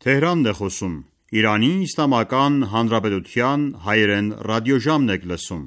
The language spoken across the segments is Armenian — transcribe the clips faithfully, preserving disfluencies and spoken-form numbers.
Թեհրանն է խոսում։ Իրանի Իսլամական Հանրապետության հայերեն ռադիոժամն եք լսում։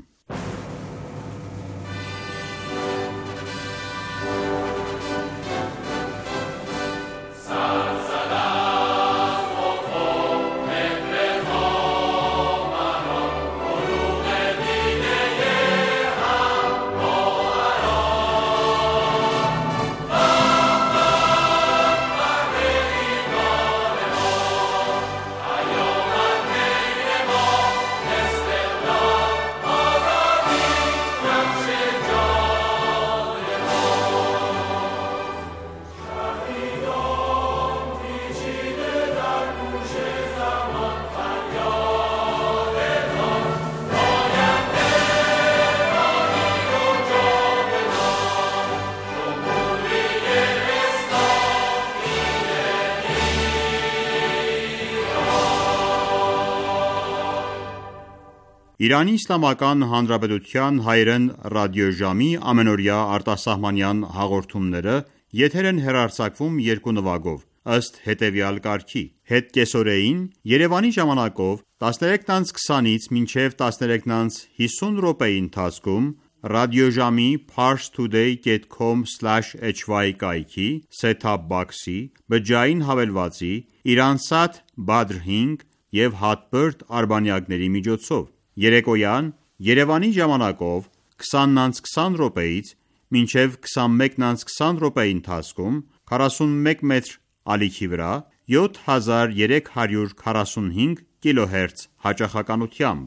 Իրանի Իսլամական Հանրապետության հայերեն ռադիոժամի ամենօրյա արտասահմանյան հաղորդումները եթեր են հեռարձակվում երկու նվագով, ըստ հետևյալ կարգի. Հետկեսօրեին Երևանի ժամանակով տասներեքից քսանից մինչև տասներեքից հիսուն րոպեի ընթացքում ռադիոժամի parstoday dot com slash h y կայքի set-top box-ի, բջջային հավելվածի, Iransat Badr հինգ և Hotbird արբանյակների միջոցով։ Երեկոյան Երևանի ժամանակով քսանից քսան րոպեից մինչև քսանմեկից քսան րոպեի ընթացքում քառասունմեկ մետր ալիքի վրա յոթ հազար երեք հարյուր քառասունհինգ կիլոհերց հաճախականությամբ։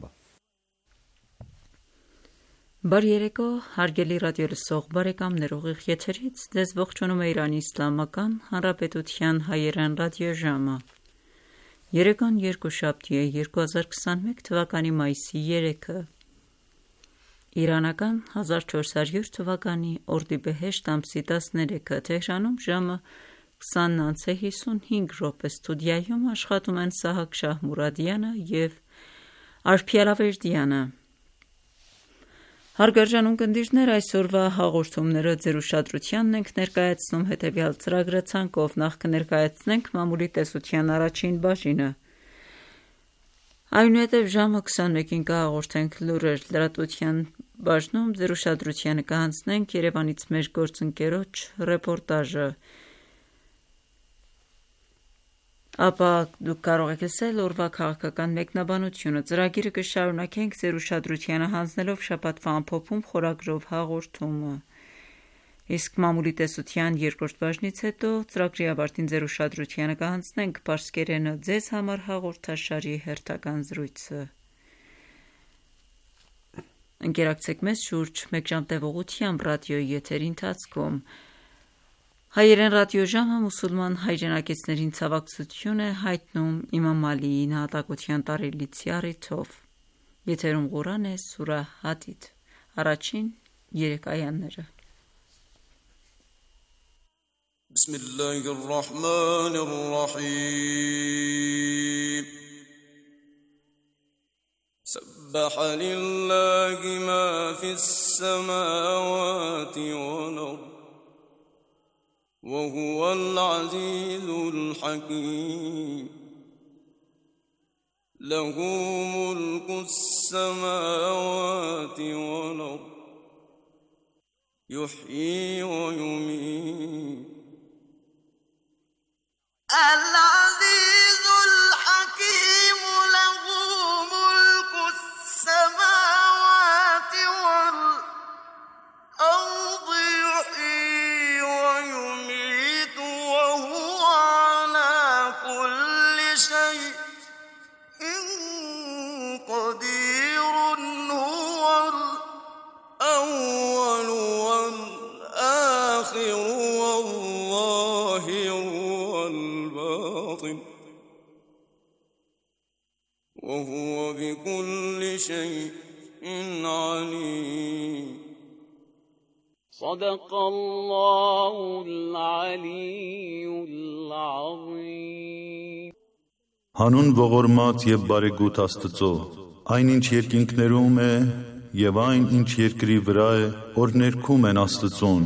Բարի երեկո, հարգելի ռադիոլսող բարեկամներ, ուղիղ եթերից ձեզ ողջունում է Իրանի Իսլամական Հանրապետության հայերեն ռադիոժամը։ Երեկոն երկուշաբթի է երկու հազար քսանմեկ թվականի մայիսի երեքը։ Իրանական հազար չորս հարյուր թվականի օրդիբեհեշտ ամսի տասներեքը, Թեհրանում ժամը քսանն անց է հիսունհինգ րոպե, ստուդիայում աշխատում են Սահակ Շահմուրադյանը և Արփիալավերդյանը։ Հարգարժան ունկնդիրներ, այսօրվա հաղորդումները ձեր ուշադրությանն ենք ներկայացնում հետևյալ ծրագրի ցանկով։ Նախ կներկայացնենք մամուլի տեսության առաջին բաժինը, այնուհետև ժամը քսանմեկին կհաղորդենք լուրեր, լրատվության բաժնում ձեր ուշադրությանը կհանձնենք Երևանից մեր գործընկերոջ ռեպորտաժը, ապա դուք կարող եք լսել օրվա քաղաքական մեկնաբանությունը։ Ծրագիրը կշարունակենք ձեր ուշադրությանը հանձնելով շաբաթվա ամփոփում խորագրով հաղորդումը, իսկ մամուլի տեսության երկրորդ բաժնից հետո ծրագրի ավարտին ձեր ուշադրությանը կհանձնենք պարսկերենը ձեզ համար հաղորդաշարի հերթական զրույցը։ Ընկերակցեք մեզ շուրջ մեկ ժամ տևողությամբ ռադիոյի եթերի ընթացքում։ Հայերեն ռադիոժամը մուսուլման հայրենակիցներին ցավակցություն է հայտնում Իմամ Ալիի նահատակության տարելիցի առիթով։ Եթերում Ղուրան է, սուրա Հադիդ, առաջին երեք այաները։ Բիսմիլլահիր ռահմանիր ռահիմ سبح لله ما في السماوات والأرض وهو العزيز الحكيم له ملك السماوات والأرض يحيي ويميت العزيز الحكيم له ملك السماوات والأرض يحيي ويميت وهو على كل شيء قدير هو الأول والآخر والظاهر والباطن وهو بكل شيء عليم صدق الله العلي العظيم Հանուն ողորմած եւ բարեգութ Աստծո, այն ինչ երկինքներում է եւ այն ինչ երկրի վրա է, որ ներքում են Աստծուն,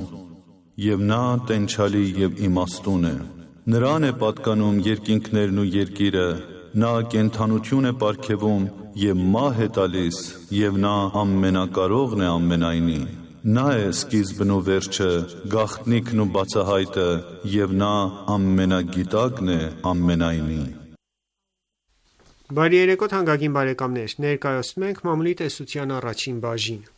եւ նա տենչալի եւ իմաստուն է։ Նրան է պատկանում երկինքներն ու երկիրը, նա կենդանություն է պարգևում և մահ է տալիս, և նա ամենակարողն է ամենայնի։ Նա է սկիզբն ու վերջը, գաղտնիքն ու բացահայտը, և նա ամենագիտակն է ամենայնի։ Բարի երեկո թանկագին բարեկամներ, ներկայացնում ենք մամուլի տեսության առաջին բաժինը։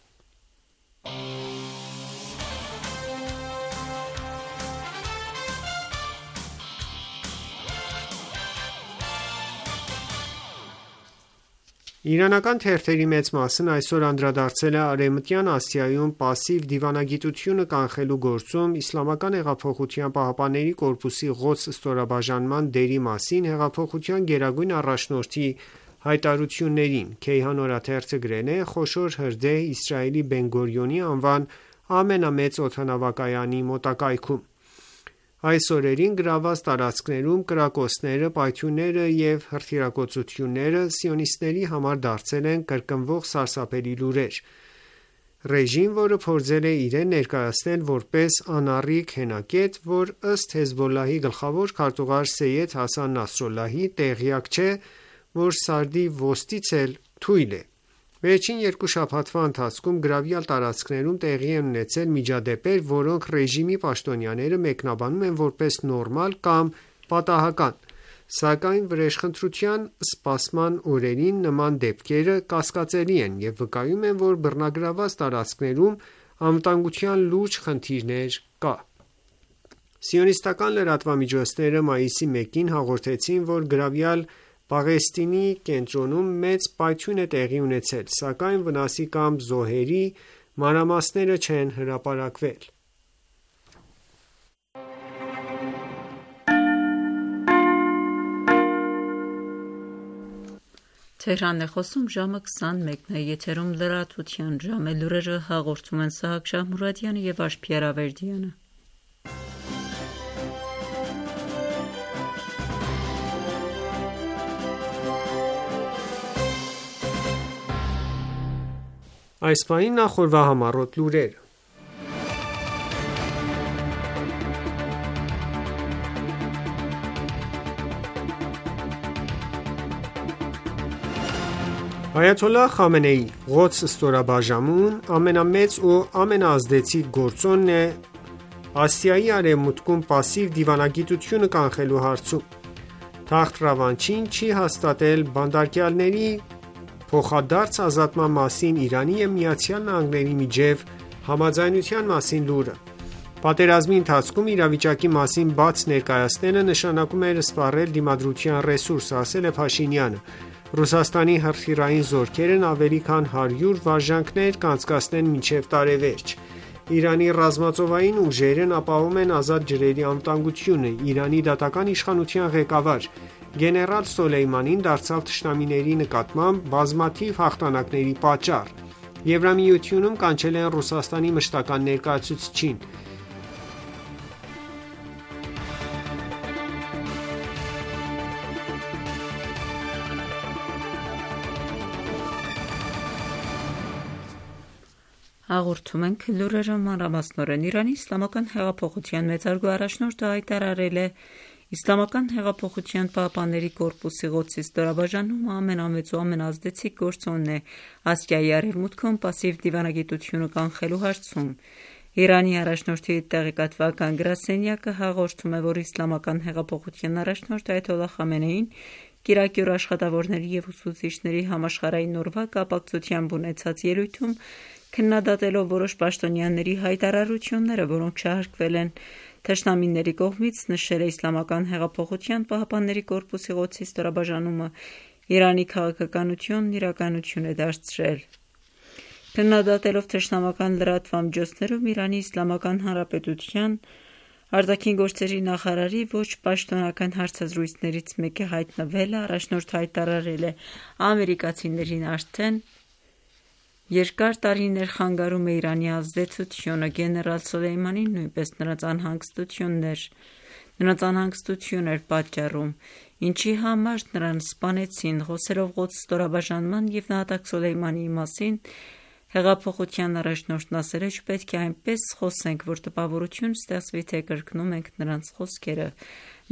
Իրանական թերթերի մեծ մասն այսօր անդրադարձել է Արևմտյան Ասիայում պասիվ դիվանագիտությունը կանխելու գործում Իսլամական հեղափոխության պահապանների կորպուսի Ղոդս ստորաբաժանման դերի մասին հեղափոխության գերագույն առաջնորդի հայտարարություններին։ Քեյհան օրաթերթը գրել է. «Խոշոր հրդեհ Իսրայելի Բեն-Գորիոնի անվան ամենամեծ օդանավակայանի մոտակայքում։ Այս օրերին գրավված տարածքներում կրակոցները, պայթյունները և հրթիռակոծությունները սիոնիստների համար դարձել են կրկնվող սարսափելի լուրեր։ Ռեժիմ, որը փորձել է իրեն ներկայացնել որպես անառիկ հենակետ, որ ըստ Հեզբոլլահի գլխավոր քարտուղար Սեյեդ Հասան Նասրալլահի տեղյակ չէ, որ Սարդի ոստից էլ թույլ է։ Վերջին երկու շաբաթվա ընթացքում գրավյալ տարածքներում տեղի են ունեցել միջադեպեր, որոնք ռեժիմի պաշտոնյաները մեկնաբանում են որպես նորմալ կամ պատահական, սակայն վրեժխնդրության սպասման օրերին նման դեպքերը կասկածելի են և վկայում են, որ բռնագրավված տարածքներում անվտանգության լուրջ խնդիրներ կա։ Սիոնիստական լրատվամիջոցները մայիսի մեկին հաղորդեցին, որ գրավյալ Պաղեստինի կենտրոնում մեծ պայթյուն է տեղի ունեցել, սակայն վնասի կամ զոհերի մանրամասները չեն հրապարակվել։ Թեհրանն է խոսում, ժամը քսանմեկն է, եթերում լրատվության ժամ է, լուրերը հաղորդում են Սահակ Շահմուրադյանը և Աշխիար Ավերդյանը։ Այս պահին նախորդ համառոտ լուրերը։ Այաթոլլահ Խամենեի Ղոդս ստորաբաժանումն ամենամեծ ու ամենաազդեցիկ գործոնն է Ասիայի արևմուտքում պասիվ դիվանագիտությունը կանխելու հարցում։ Թախտ-Ռավանչին չի հաստատել բանտարկյալների փոխադարձ ազատման մասին Իրանի և ԱՄՆ-ի միջև համաձայնության մասին լուրը։ Պատերազմի ընթացքում իրավիճակի մասին բաց ներկայացնելը նշանակում էր սպառել դիմադրության ռեսուրս, ասել է Փաշինյանը։ Ռուսաստանի հրթիռային զորքերն ավելի քան հարյուր վարժանքներ կանցկացնեն մինչև տարեվերջ։ Իրանի ռազմածովային ուժերն ապահովում են ազատ ջրերի անվտանգությունը։ Իրանի դատական իշխանության ղեկավար գեներալ Սոլեյմանին դարձավ թշնամիների նկատմամբ բազմաթիվ հաղթանակների պատճառ։ Եվրամիությունում կանչել են Ռուսաստանի մշտական ներկայացուցչին։ Հաղորդում ենք լուրերը մանրամասնորեն։ Իրանի իսլամական հեղափոխության մեծարգո առաջնորդը հայտարարել է Իսլամական հեղափոխության պահապանների կորպուսի Ղոդսի ստորաբաժանումը ամենամեծ ու ամենաազդեցիկ գործոնն է Ասիայի արևմուտքում պասիվ դիվանագիտությունը կանխելու հարցում։ Իրանի առաջնորդի տեղեկատվական գրասենյակը հաղորդում է, որ Իսլամական հեղափոխության առաջնորդ Այաթոլլահ Խամենեին կիրակի օր աշխատավորների և ուսուցիչների համաշխարհային օրվա կապակցությամբ ունեցած ելույթում քննադատելով որոշ պաշտոնյաների հայտարարությունները, որոնք շահարկվել են թշնամիների կողմից, նշել է Իսլամական հեղափոխության պահապանների կորպուսի Ղոդսի ստորաբաժանումը Իրանի քաղաքականությունն իրականություն է դարձրել։ Քննադատելով թշնամական լրատվամիջոցներում Իրանի Իսլամական Հանրապետության արտաքին գործերի նախարարի ոչ պաշտոնական հարցազրույցներից մեկի հայտնվելը, առաջնորդը հայտարարել է ամերիկացիներին արդեն երկար տարիներ խանգարում է Իրանի ազդեցությունը, գեներալ Սոլեյմանին նույնպես նրանց անհանգստություններ նրանց անհանգստություն էր պատճառում, ինչի համար նրան սպանեցին։ Խոսելով Ղոդս ստորաբաժանման և նահատակ Սոլեյմանիի մասին, Հեղափոխության առաջնորդն ասել է, չպետք է այնպես խոսենք, որ տպավորություն ստեղծվի, թե կրկնում ենք նրանց խոսքերը։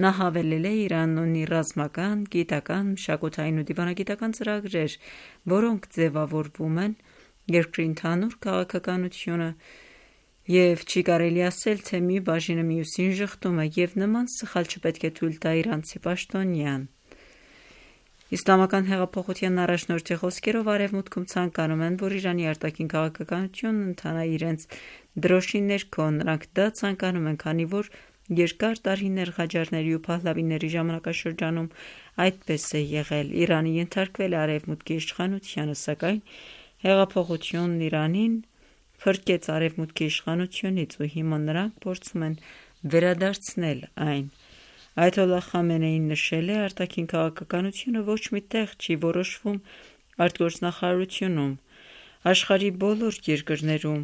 Նա հավելել է, Իրանն ունի ռազմական, գիտական, մշակութային ու դիվանագիտական ծրագրեր, որոնք ձևավորվում են երկրի ընդհանուր քաղաքականությունը, և չի կարելի ասել, թե մի բաժինը մյուսին ժխտում է, և նման սխալ չպետք է թույլ տա իրանցի պաշտոնյան։ Իսլամական հեղափոխության առաջնորդի խոսքերով Արևմուտքում ցանկանում են, որ Իրանի արտաքին քաղաքականությունն ընթանա իրենց դրոշի ներքո, նրանք դա ցանկանում են, քանի որ երկար տարիներ Ղաջարների ու Փահլավիների ժամանակաշրջանում այդպես է եղել։ Իրանը ենթարկվել է Արևմուտքի իշխանությանը, սակայն հեղափոխությունն Իրանին փրկեց Արևմուտքի իշխանությունից ու հիմա նրանք փորձում են վերադարձնել այն։ Այաթոլլահ Խամենեին նշել է, արտաքին քաղաքականությունը ոչ մի տեղ չի որոշվում արտգործնախարարությունում, աշխարհի բոլոր երկրներում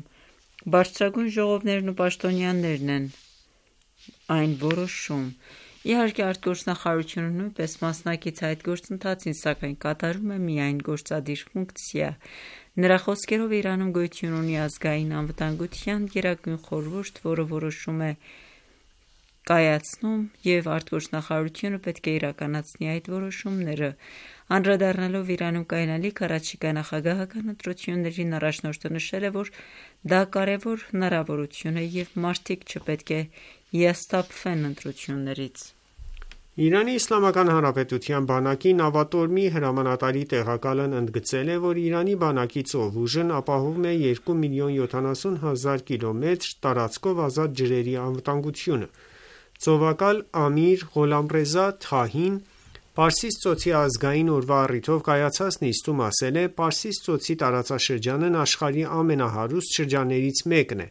բարձրագույն ժողովներն ու պաշտոնյաներն են այն որոշում։ Իհարկե, արտգործնախարարությունը նույնպես մասնակից է այդ գործընթացին, սակայն կատարում է միայն գործադիր ֆունկցիա։ Նրա խոսքերով Իրանում գոյություն ունի ազգային անվտանգության գերագույն խորհուրդ, որը որոշում է կայացնում, և արտգործնախարարությունը պետք է իրականացնի այդ որոշումները։ Անդրադառնալով Իրանում կայանալիք առաջիկա նախագահական ընտրություններին, առաջնորդը նշել է, որ դա կարևոր հնարավորություն է և մարդիկ չպետք է հիասթափվեն ընտրություններից։ Իրանի Իսլամական Հանրապետության բանակի նավատորմի հրամանատարի տեղակալն ընդգծել է, որ Իրանի բանակի ծովուժն ապահովում է երկու միլիոն յոթանասուն հազար կիլոմետր տարածքով ազատ ջրերի անվտանգությունը։ Ծովակալ Ամիր Ղոլամռեզա Թահին Պարսից ծոցի ազգային օրվա առիթով կայացած նիստում ասել է. «Պարսից ծոցի տարածաշրջանն աշխարհի ամենահարուստ շրջաններից մեկն է,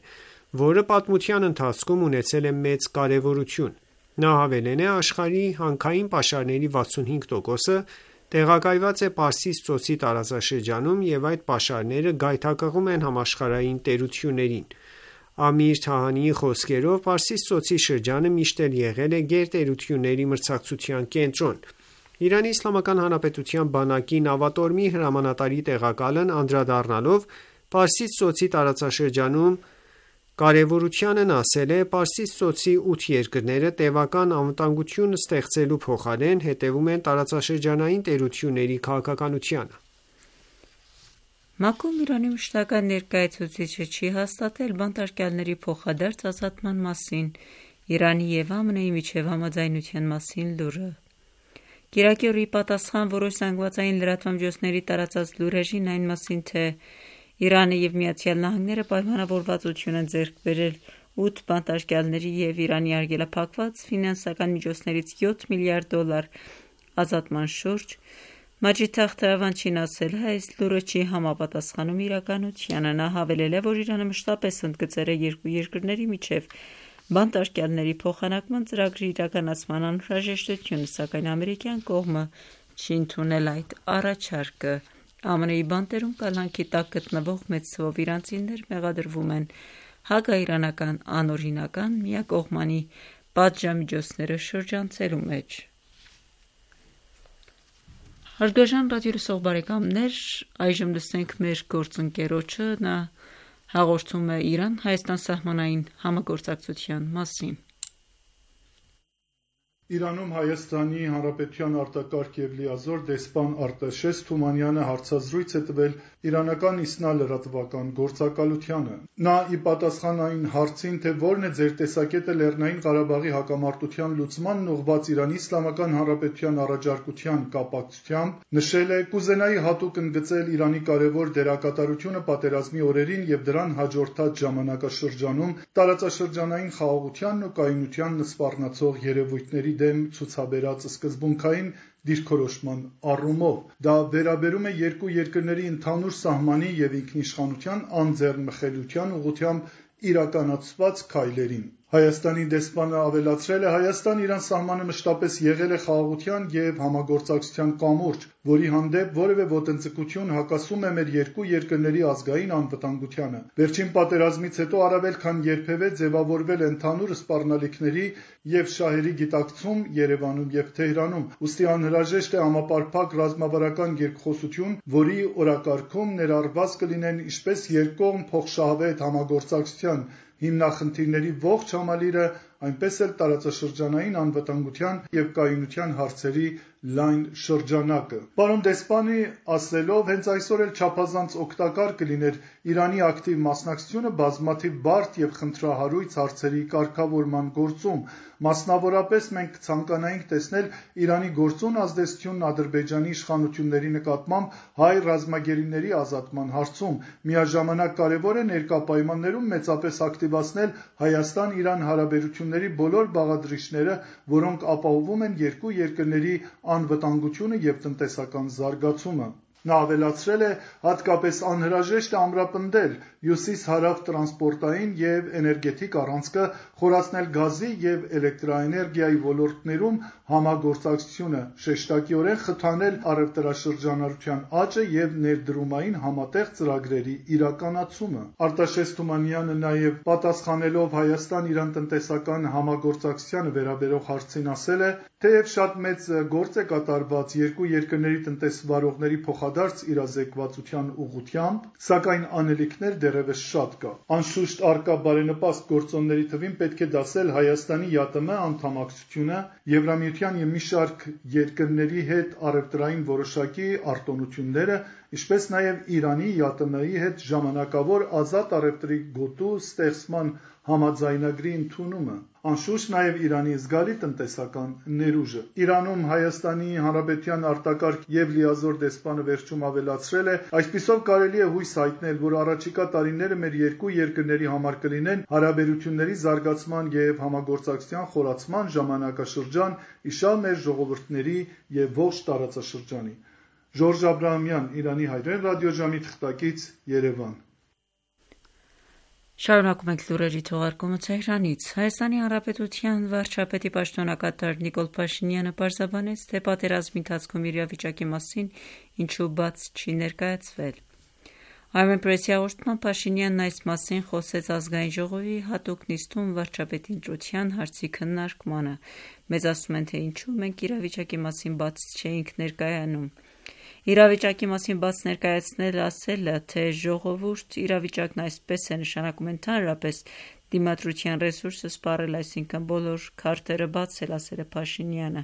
որը պատմության ընթացքում ունեցել է մեծ կարևորություն»։ Նա հավելել է. «Աշխարհի հանքային պաշարների վաթսունհինգ տոկոսը տեղակայված է Պարսից ծոցի տարածաշրջանում և այդ պաշարները գայթակղում են համաշխարհային տերություններին»։ Ամիր Թահանիի խոսքերով, Պարսից ծոցի շրջանը միշտ էլ եղել է գերտերությունների մրցակցության կենտրոն։ Իրանի Իսլամական Հանրապետության բանակի նավատորմի հրամանատարի տեղակալն անդրադառնալով Պարսից ծոցի տարածաշրջանում կարևորությանն ասել է. «Պարսից ծոցի ութ երկրները տևական անվտանգություն ստեղծելու փոխարեն հետևում են տարածաշրջանային տերությունների քաղաքականությանը»։ ՄԱԿ-ում Իրանի մշտական ներկայացուցիչը չի հաստատել բանտարկյալների փոխադարձ ազատման մասին Իրանի և ԱՄՆ-ի միջև համաձայնության մասին լուրը։ Կիրակի օրը ի պատասխան որոշ զանգվածային լրատվամիջոցների տարածած լուրերին այն մասին, թե Իրանը և ԱՄՆ-ը պայմանավորվածություն են ձեռք բերել ութ բանտարկյալների և Իրանի արգելափակված ֆինանսական միջոցներից յոթ միլիարդ դոլար ազատման շուրջ, Մաջիդ Թախտ Ռավանչին ասել է. «Այս լուրը չի համապատասխանում իրականությանը»։ Նա հավելել է, որ Իրանը մշտապես ընդգծել է երկու երկրների միջև բանտարկյալների փոխանակման ծրագրի իրականացման անհրաժեշտությունը, սակայն ամերիկյան կողմը չի ընդունել այդ առաջարկը։ ԱՄՆ-ի բանտերում կալանքի տակ գտնվող մեծ թվով իրանցիներ մեղադրվում են հակաիրանական անօրինական միակողմանի պատժամիջոցները շրջանցելու մեջ։ Հարգարժան ռադիոլսող բարեկամներ, այժմ լսենք մեր գործընկերոջը, նա հաղորդում է Իրան-Հայաստան սահմանային համագործակցության մասին։ Իրանում Հայաստանի Հանրապետության արտակարգ և լիազոր դեսպան Արտաշես Թումանյանը հարցազրույց է տվել իրանական Իսնա լրատվական գործակալությանը։ Նա ի պատասխան այն հարցին, թե որն է ձեր տեսակետը Լեռնային Ղարաբաղի հակամարտության լուծմանն ուղղված Իրանի Իսլամական Հանրապետության առաջարկության կապակցությամբ, նշել է. «Կուզենայի հատուկ ընդգծել Իրանի կարևոր դերակատարությունը պատերազմի օրերին և դրան հաջորդած ժամանակաշրջանում տարածաշրջանային խաղաղությանն ու կայունությանն սպառնացող երևույթների դեմ ցուցաբերած սկզբունքային դիրքորոշման առումով։ Դա վերաբերում է երկու երկրների ընդհանուր սահմանի և ինքնիշխանության անձեռնմխելիության ուղղությամբ իրականացված քայլերին»։ Հայաստանի դեսպանը ավելացրել է. Հայաստան-Իրան սահմանը մշտապես եղել է խաղաղության և համագործակցության կամուրջ, որի հանդեպ որևէ ոտնձգություն հակասում է մեր երկու երկրների ազգային անվտանգությանը։ Վերջին պատերազմից հետո առավել քան երբևէ ձևավորվել է ընդհանուր սպառնալիքների և շահերի գիտակցում Երևանում և Թեհրանում, ուստի անհրաժեշտ է համապարփակ ռազմավարական երկխոսություն, որի օրակարգում ներառված կլինեն ինչպես երկկողմ փոխշահավետ համագործակցության հիմնախնդիրների ողջ համալիրը, այնպես էլ տարածաշրջանային անվտանգության և կայունության հարցերի լայն շրջանակը։ Պարոն դեսպանի ասելով, հենց այսօր էլ չափազանց օգտակար կլիներ Իրանի ակտիվ մասնակցությունը բազմաթիվ բարդ և խնդրահարույց հարցերի կարգավորման գործում։ Մասնավորապես մենք կցանկանայինք տեսնել Իրանի գործուն ազդեցությունն Ադրբեջանի իշխանությունների նկատմամբ հայ ռազմագերիների ազատման հարցում։ Միաժամանակ կարևոր է ներկա պայմաններում մեծապես ակտիվացնել Հայաստան-Իրան հարաբերությունների բոլոր բաղադրիչները, որոնք ապահովում են երկու երկրների անվտանգությունը և տնտեսական զարգացումը։ Նա ավելացրել է. հատկապես անհրաժեշտ է ամրապնդել հյուսիս-հարավ տրանսպորտային և էներգետիկ առանցքը, խորացնել գազի և էլեկտրաէներգիայի ոլորտներում համագործակցությունը, շեշտակիորեն խթանել առևտրաշրջանառության աճը և ներդրումային համատեղ ծրագրերի իրականացումը։ Արտաշես Թումանյանը նաև պատասխանելով Հայաստան-Իրան տնտեսական համագործակցությանը վերաբերող հարցին ասել է. թեև շատ մեծ գործ է կատարված երկու երկրների տնտեսվարողների փոխադարձ իրազեկվածության ուղղությամբ, սակայն անելիքներ դեռևս շատ կա։ Անշուշտ առկա բարենպաստ գործոնների թվին պետք է դասել Հայաստանի ԵԱՏՄ անդամակցությունը, Եվրամիության և մի շարք երկրների հետ առևտրային որոշակի արտոնությունները, ինչպես նաև Իրանի ԵԱՏՄ-ի հետ ժամանակավոր ազատ առևտրի գոտու ստեղծման համաձայնագրի ընդունումը, անշուշտ նաև Իրանի զգալի տնտեսական ներուժը։ Իրանում Հայաստանի Հանրապետության արտակարգ և լիազոր դեսպանը վերջում ավելացրել է. այսպիսով կարելի է հույս հայտնել, որ առաջիկա տարիները մեր երկու երկրների համար կլինեն հարաբերությունների զարգացման և համագործակցության խորացման ժամանակաշրջան, իշալ մեր ժողովուրդների և ողջ տարածաշրջանի։ Ժորժ Աբրահամյան, Իրանի հայրեն ռադիոժամի թղթակից, Երևան։ Շարունակում ենք լուրերի թողարկումը Թեհրանից։ Հայաստանի Հանրապետության վարչապետի պաշտոնակատար Նիկոլ Փաշինյանը պարզաբանեց, թե պատերազմի ընթացքում իրավիճակի մասին ինչու բաց չի ներկայացվել։ Armenpress-ի հաղորդմամբ Փաշինյանն այս մասին խոսեց ազգային ժողովի հատուկ նիստում վարչապետի ընտրության հարցի քննարկմանը։ Մեզ ասում են, թե ինչու մենք իրավիճակի մասին բաց չէինք ներկայանում։ Իրավիճակի մասին բաց ներկայացնել ասելը, թե ժողովուրդ իրավիճակն այսպես է, նշանակում է ընդհանրապես դիմադրության ռեսուրսը սպառել, այսինքն բոլոր քարտերը բացել, ասել է Փաշինյանը։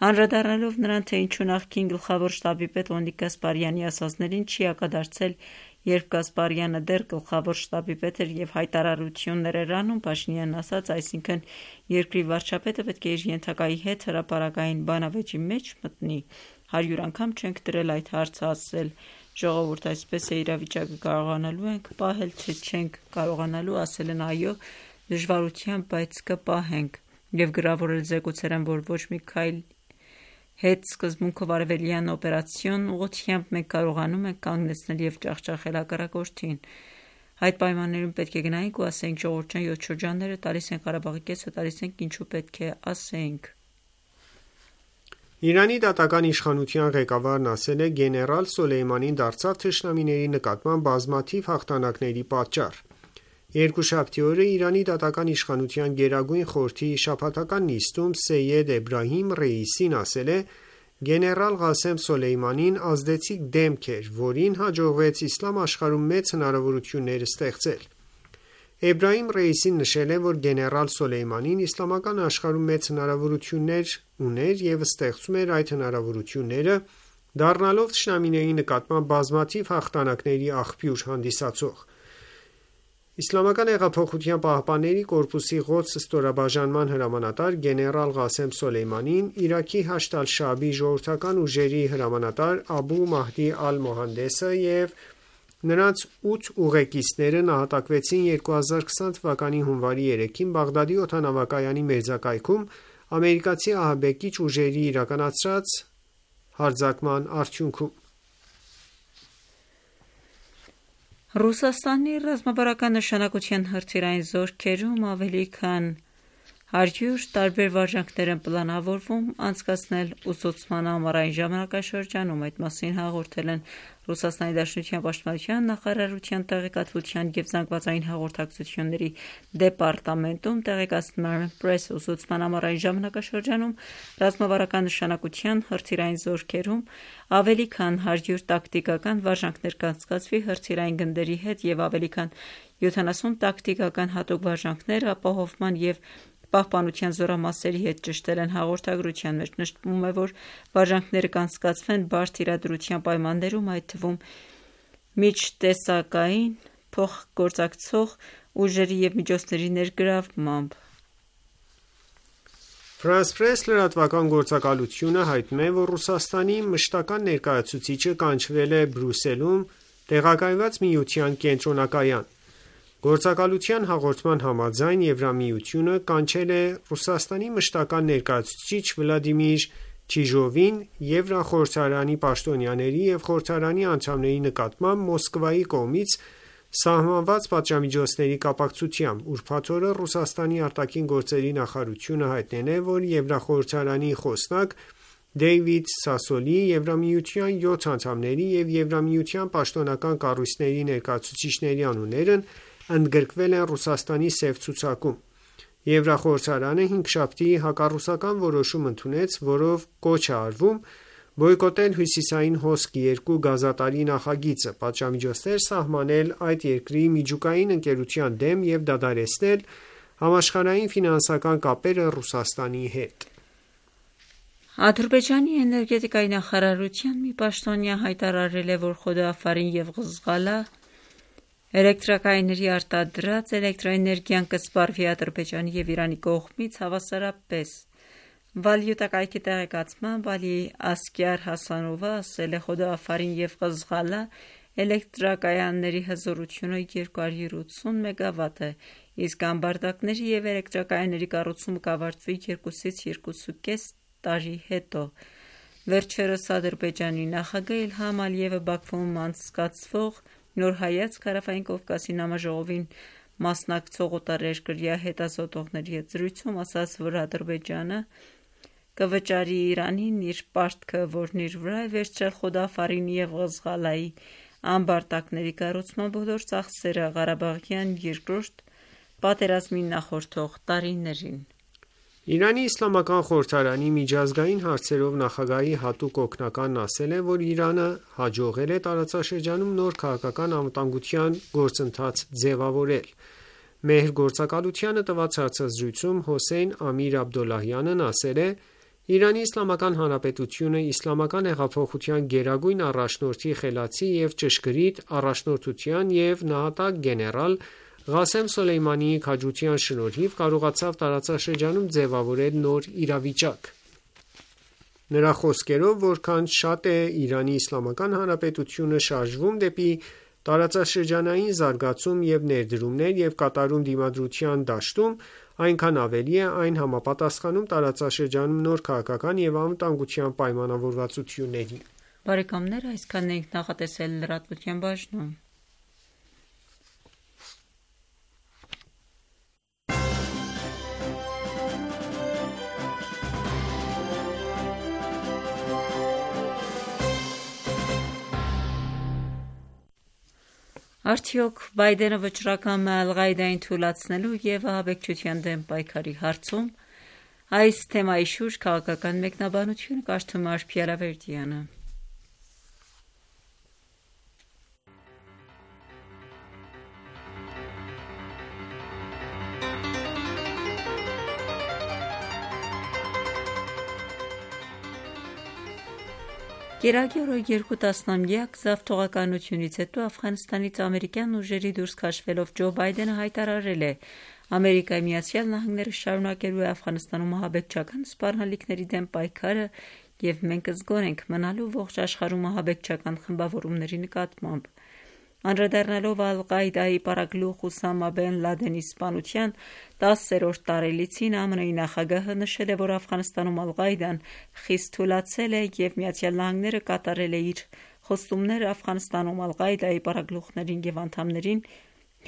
Անդրադառնալով նրան, թե ինչու նախկին գլխավոր շտաբի պետ Լեոնիդ Գասպարյանի ասածներին չի հակադարձել, երբ Գասպարյանը դեռ գլխավոր շտաբի պետ էր և հայտարարություններ էր անում, Փաշինյանն ասաց, այսինքն երկրի վարչապետը պետք է իր ենթակայի հետ հրապարակային բանավեճի մեջ մտնի։ Հարյուր անգամ չենք դրել այդ հարցը ասել, ժողովուրդ այսպես է, իրավիճակը կարողանալու ենք պահել, թե չենք կարողանալու, ասել են այո, դժվարությամբ, բայց կպահենք, և գրավորել զեկուցել են, որ ոչ մի քայլ հետ սկզբունքով արևելյան օպերացիոն ուղղությամբ մենք կարողանում ենք կանգնեցնել և ջախջախել հակառակորդին։ Այդ պայմաններում պետք է գնայինք ու ասեինք ժողովուրդ ջան, յոթ շրջանները տալիս են Ղարաբաղի կեսը, տալիս ենք, ինչու պետք է ասեինք։ Իրանի դատական իշխանության ղեկավարն ասել է, գեներալ Սոլեյմանին դարձավ թշնամիների նկատմամբ բազմաթիվ հաղթանակների պատճառ։ Երկուշաբթի օրը Իրանի դատական իշխանության գերագույն խորհրդի շաբաթական նիստում Սեյեդ Էբրահիմ Ռեյիսին ասել է. գեներալ Ղասեմ Սոլեյմանին ազդեցիկ դեմք էր, որին հաջողվեց իսլամ աշխարհում մեծ հնարավորություններ ստեղծել։ Էբրահիմ Ռեյիսին նշել է, որ գեներալ Սոլեյմանին իսլամական աշխարհում մեծ հնարավորություններ ուներ և ստեղծում էր այդ հնարավորությունները, դառնալով թշնամիների նկատմամբ բազմաթիվ հաղթանակների աղբյուր հանդիսացող։ ԻՀՊԿ-ի Ղոդս ստորաբաժանման հրամանատար գեներալ Ղասեմ Սոլեյմանին, Իրաքի Հաշդ ալ-Շաաբի ժողովրդական ուժերի հրամանատար Աբու Մահդի ալ-Մոհանդեսը և նրանց ութ ուղեկիցները նահատակվեցին երկու հազար քսան թվականի հունվարի երեքին Բաղդադի օդանավակայանի մերձակայքում ամերիկացի ահաբեկիչ ուժերի իրականացրած հարձակման արդյունքում։ Ռուսաստանի ռազմավարական նշանակության հրթիռային զորքերում ավելի քան Հարյուր տարբեր վարժանքներ են պլանավորվում անցկացնել ուսուցման ամառային ժամանակաշրջանում, այդ մասին հաղորդել են Ռուսաստանի Դաշնության Պաշտպանության նախարարության տեղեկատվության և զանգվածային հաղորդակցությունների դեպարտամենտում տեղեկացնում է Press ուսուցման ամառային ժամանակաշրջանում ռազմավարական նշանակության հրթիռային զորքերում ավելի քան հարյուր տակտիկական վարժանքներ կանցկացվի հրթիռային գնդերի հետ և ավելի քան յոթանասուն տակտիկական հատուկ վարժանքներ ապահովման և պահպանության զորամասերի հետ ճշտել են հաղորդագրության մեջ նշվում է, որ վարժանքները կանցկացվեն բարդ իրադրության պայմաններում, այդ թվում միջտեսակային փոխգործակցող ուժերի և միջոցների ներգրավմամբ։ France Press լրատվական գործակալությունը հայտնում է, որ Ռուսաստանի մշտական ներկայացուցիչը կանչվել է Բրյուսելում տեղակայված Միության կենտրոնակայան։ Գործակալության հաղորդման համաձայն Եվրամիությունը կանչել է Ռուսաստանի մշտական ներկայացուցիչ Վլադիմիր Չիժովին Եվրախորհրդարանի պաշտոնյաների և խորհրդարանի անդամների նկատմամբ Մոսկվայի կողմից սահմանված պատժամիջոցների կապակցությամբ։ Ուրբաթ օրը Ռուսաստանի արտաքին գործերի նախարարությունը հայտնել է, որ Եվրախորհրդարանի խոսնակ Դեյվիդ Սասոլի, Եվրամիության յոթ անդամների և Եվրամիության պաշտոնական կառույցների ներկայացուցիչների անուններն ընդգրկվել են Ռուսաստանի սև ցուցակում։ Եվրախորհրդարանը հինգշաբթի հակառուսական որոշում ընդունեց, որով կոչ է արվում բոյկոտել Հյուսիսային հոսք երկու գազատարի նախագիծը, պատժամիջոցներ սահմանել այդ երկրի միջուկային ընկերության դեմ և դադարեցնել համաշխարհային ֆինանսական կապերը Ռուսաստանի հետ։ Ադրբեջանի էներգետիկայի նախարարության մի պաշտոնյա հայտարարել է, որ Խոդաաֆարին և Ղզղալա էլեկտրակայանների արտադրած էլեկտրաէներգիան կսպառվի Ադրբեջանի և Իրանի կողմից հավասարապես։ Վալյուտակայքի տեղեկացմամբ Ալի Ասգար Հասանովը ասել է, Խոդաաֆարին և Ղզղալա էլեկտրակայանների հզորությունը երկու հարյուր ութսուն մեգավատ է, իսկ ամբարտակների և էլեկտրակայանների կառուցումը կավարտվի երկուսից երկուսուկես տարի հետո։ Վերջերս Ադրբեջանի նախագահ Իլհամ Ալիևը Բաքվում անցկացվող Նոր հայացք Հարավային Կովկասի նամաժողովին մասնակցող օտարերկրյա հետազոտողների հետ զրույցում ասաց, որ Ադրբեջանը կվճարի Իրանին իր պարտքը, որն իր վրա է վերցրել Խոդաաֆարինի և Ղզղալայի ամբարտակների կառուցման բոլոր ծախսերը Ղարաբաղյան երկրորդ պատերազմին նախորդող տարիներին։ Իրանի Իսլամական խորհրդարանի միջազգային հարցերով նախագահի հատուկ օգնականն ասել է, որ Իրանը հաջողել է տարածաշրջանում նոր քաղաքական անվտանգության գործընթաց ձևավորել։ Մեհր գործակալությանը տված հարցազրույցում Հոսեյն Ամիր Աբդոլլահյանն ասել է. Իրանի Իսլամական Հանրապետությունը Իսլամական հեղափոխության գերագույն առաջնորդի խելացի և ճշգրիտ առաջնորդության և նահատակ գեներալ Ղասեմ Սոլեյմանիի քաջության շնորհիվ կարողացավ տարածաշրջանում ձևավորել նոր իրավիճակ։ Նրա խոսքերով, որքան շատ է Իրանի Իսլամական Հանրապետությունը շարժվում դեպի տարածաշրջանային զարգացում և ներդրումներ և կատարում դիմադրության դաշտում, այնքան ավելի է այն համապատասխանում տարածաշրջանում նոր քաղաքական և անվտանգության պայմանավորվածություններին։ Բարեկամներ, այսքանն ենք նախատեսել լրատվության բաժնում։ Արդյոք Բայդենը վճռակամ է Ալ-Ղաիդային թուլացնելու և ահաբեկչության դեմ պայքարի հարցում։ Այս թեմայի շուրջ քաղաքական մեկնաբանությունը կարդում է Արփի Ալավերդյանը։ Կիրակի օրը երկու տասնամյակ զավթողականությունից հետո Աֆղանստանից ամերիկյան ուժերի դուրս քաշվելով Ջո Բայդենը հայտարարել է. Ամերիկայի Միացյալ Նահանգները շարունակելու է Աֆղանստանում ահաբեկչական սպառնալիքների դեմ պայքարը և մենք զգոն ենք մնալու ողջ աշխարհում ահաբեկչական խմբավորումների նկատմամբ։ Անդրադառնալով Ալ-Ղաիդայի պարագլուխ Ուսամա Բեն Լադենի սպանության տասերորդ տարելիցին, ԱՄՆ-ի նախագահը նշել է, որ Աֆղանստանում Ալ-Ղաիդան խիստ թուլացել է և Միացյալ Նահանգները կատարել է իր խոստումները Աֆղանստանում Ալ-Ղաիդայի պարագլուխներին և անդամներին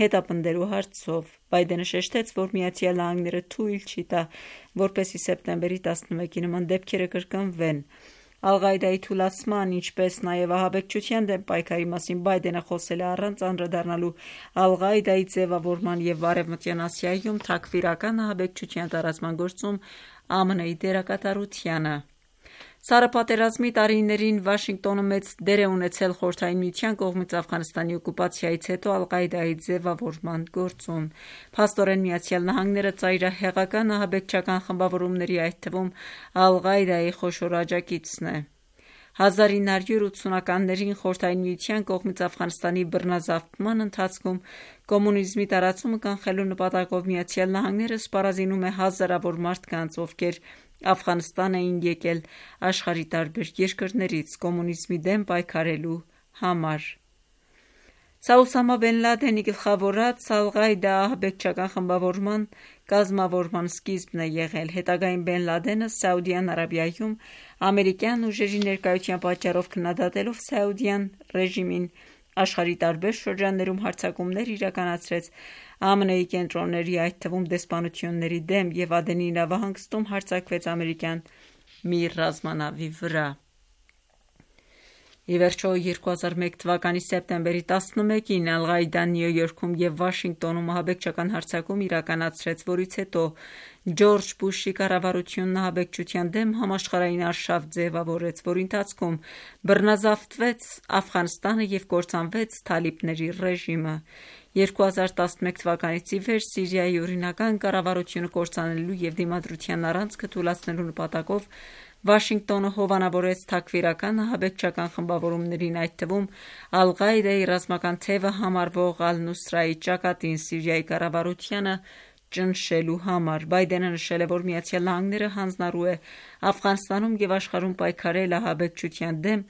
հետապնդելու հարցով։ Բայդենը շեշտեց, որ Միացյալ Նահանգները թույլ չի տա, որպեսզի սեպտեմբերի տասնմեկի նման դեպքերը կրկնվեն։ Ալ-Ղաիդայի թուլացման, ինչպես նաև ահաբեկչության դեմ պայքարի մասին Բայդենը խոսել է առանց անդրադառնալու Ալ-Ղաիդայի ձևավորման և Արևմտյան Ասիայում թաքֆիրական ահաբեկչության տարածման գործում ԱՄՆ-ի դերակատարությանը։ Սառը պատերազմի տարիներին Վաշինգտոնը մեծ դեր է ունեցել Խորհրդային Միության կողմից Աֆղանստանի օկուպացիայից հետո Ալ-Ղաիդայի ձևավորման գործում։ Փաստորեն Միացյալ Նահանգները ծայրահեղական ահաբեկչական խմբավորումների, այդ թվում Ալ-Ղաիդայի խոշոր աջակիցն է։ հազար ինը հարյուր ութսունականներին Խորհրդային Միության կողմից Աֆղանստանի բռնազավթման ընթացքում կոմունիզմի տարածումը կանխելու նպատակով Միացյալ Նահանգները սպառազինում է հազարավոր մարդկանց, ովքեր Աֆղանստան էին եկել աշխարհի տարբեր երկրներից կոմունիզմի դեմ պայքարելու համար։ Սա Օսամա Բեն Լադենի գլխավորած Ալ-Ղաիդա ահաբեկչական խմբավորման կազմավորման սկիզբն է եղել։ Հետագային Բեն Լադենը Սաուդյան Արաբիայում ամերիկյան ուժերի ներկայության պատճառով քննադատելով Սաուդյան ռեժիմին աշխարհի տարբեր շրջաններում հարձակումներ իրականացրեց ԱՄՆ-ի կենտրոնների, այդ թվում դեսպանությունների դեմ և Ադենի նավահանգստում հարձակվեց ամերիկյան մի ռազմանավի վրա։ Ի վերջո երկու հազար մեկ թվականի սեպտեմբերի տասնմեկին Ալ-Ղաիդան Նյու Յորքում և Վաշինգտոնում ահաբեկչական հարձակում իրականացրեց, որից հետո Ջորջ Բուշի կառավարությունն ահաբեկչության դեմ համաշխարհային արշավ ձևավորեց, որի ընթացքում բռնազավթվեց Աֆղանստանը և կործանվեց թալիբների ռեժիմը։ երկու հազար տասնմեկ թվականից ի վեր Սիրիայի օրինական կառավարությունը կործանելու և դիմադրության առանցքը թուլացնելու նպատակով Վաշինգտոնը հովանավորեց թաքֆիրական ահաբեկչական խմբավորումներին, այդ թվում Ալ-Ղաիդայի ռազմական թևը համարվող Ալ-Նուսրայի ճակատին Սիրիայի կառավարությանը ճնշելու համար։ Բայդենը նշել է, որ Միացյալ Նահանգները հանձնառու է Աֆղանստանում և աշխարհում պայքարել ահաբեկչության դեմ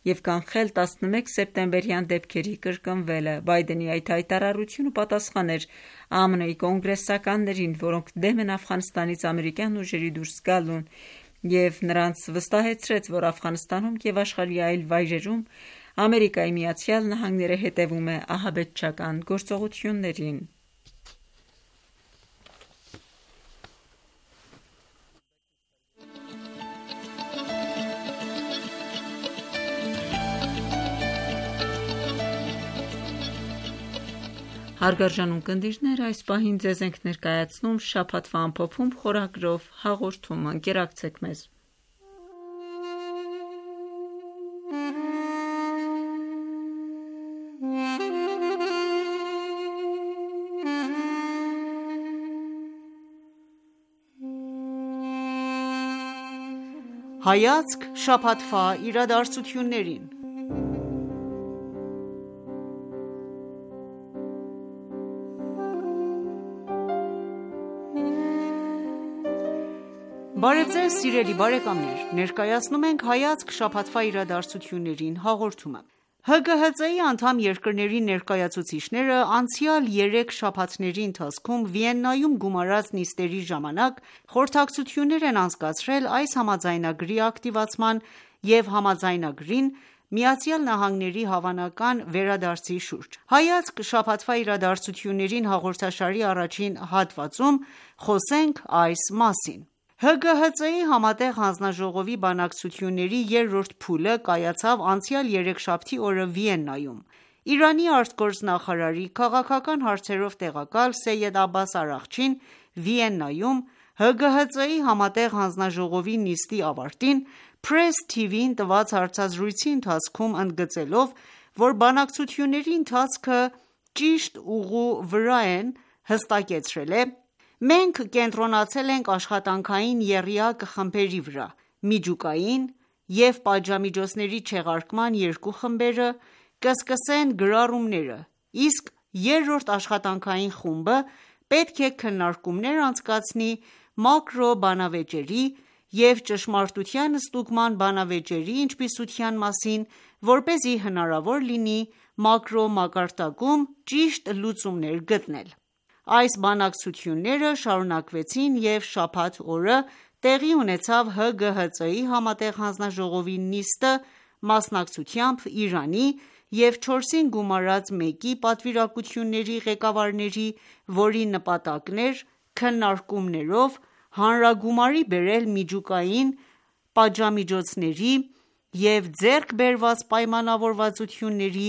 և կանխել տասնմեկ սեպտեմբերյան դեպքերի կրկնվելը։ Բայդենի այդ հայտարարությունը պատասխան էր ԱՄՆ-ի կոնգրեսականներին, որոնք դեմ են Աֆղանստանից ամերիկյան ուժերի դուրս գալուն, և նրանց վստահեցրեց, որ Աֆղանստանում և աշխարհի այլ վայրերում Ամերիկայի Միացյալ Նահանգները հետևում է ահաբեկչական գործողություններին։ Հարգարժան ունկնդիրներ, այս պահին ձեզ ենք ներկայացնում շաբաթվա ամփոփում խորագրով հաղորդումը։ Ընկերակցեք մեզ։ Հայացք շաբաթվա իրադարձություններին։ Բարև ձեզ սիրելի բարեկամներ, ներկայացնում ենք հայացք շաբաթվա իրադարձություններին հաղորդումը։ Հ Գ Հ Ծ-ի անդամ երկրների ներկայացուցիչները անցյալ երեք շաբաթների ընթացքում Վիեննայում գումարած նիստերի ժամանակ խորհրդակցություններ են անցկացրել այս համաձայնագրի ակտիվացման և համաձայնագրին Միացյալ Նահանգների հավանական վերադարձի շուրջ։ Հայացք շաբաթվա իրադարձություններին հաղորդաշարի առաջին հատվածում խոսենք այս մասին։ Հ Գ Հ Ծ-ի Համատեղ հանձնաժողովի բանակցությունների երրորդ փուլը կայացավ անցյալ երեքշաբթի օրը Վիեննայում։ Իրանի արտգործնախարարի քաղաքական հարցերով տեղակալ Սեյեդ Աբբաս Արաղչին Վիեննայում Հ Գ Հ Ծ-ի Համատեղ հանձնաժողովի նիստի ավարտին Press T V-ին տված հարցազրույցի ընթացքում ընդգծելով, որ բանակցությունների ընթացքը ճիշտ ուղու վրա են, հստակեցրել է. «Մենք կենտրոնացել ենք աշխատանքային եռյակ խմբերի վրա: Միջուկային և պատժամիջոցների չեղարկման երկու խմբերը կսկսեն գրառումները, իսկ երրորդ աշխատանքային խումբը պետք է քննարկումներ անցկացնի մակրո բանավեճերի և ճշմարտության ստուգման բանավեճերի ինչպիսության մասին, որպեսզի հնարավոր լինի մակրո մակարդակում ճիշտ լուծումներ գտնել»։ Այս բանակցությունները շարունակվեցին և շաբաթ օրը տեղի ունեցավ Հ Գ Հ Ծ-ի Համատեղ հանձնաժողովի նիստը մասնակցությամբ Իրանի և չորսին գումարած մեկի պատվիրակությունների ղեկավարների, որի նպատակն էր քննարկումներով հանրագումարի բերել միջուկային պատժամիջոցների և ձեռք բերված պայմանավորվածությունների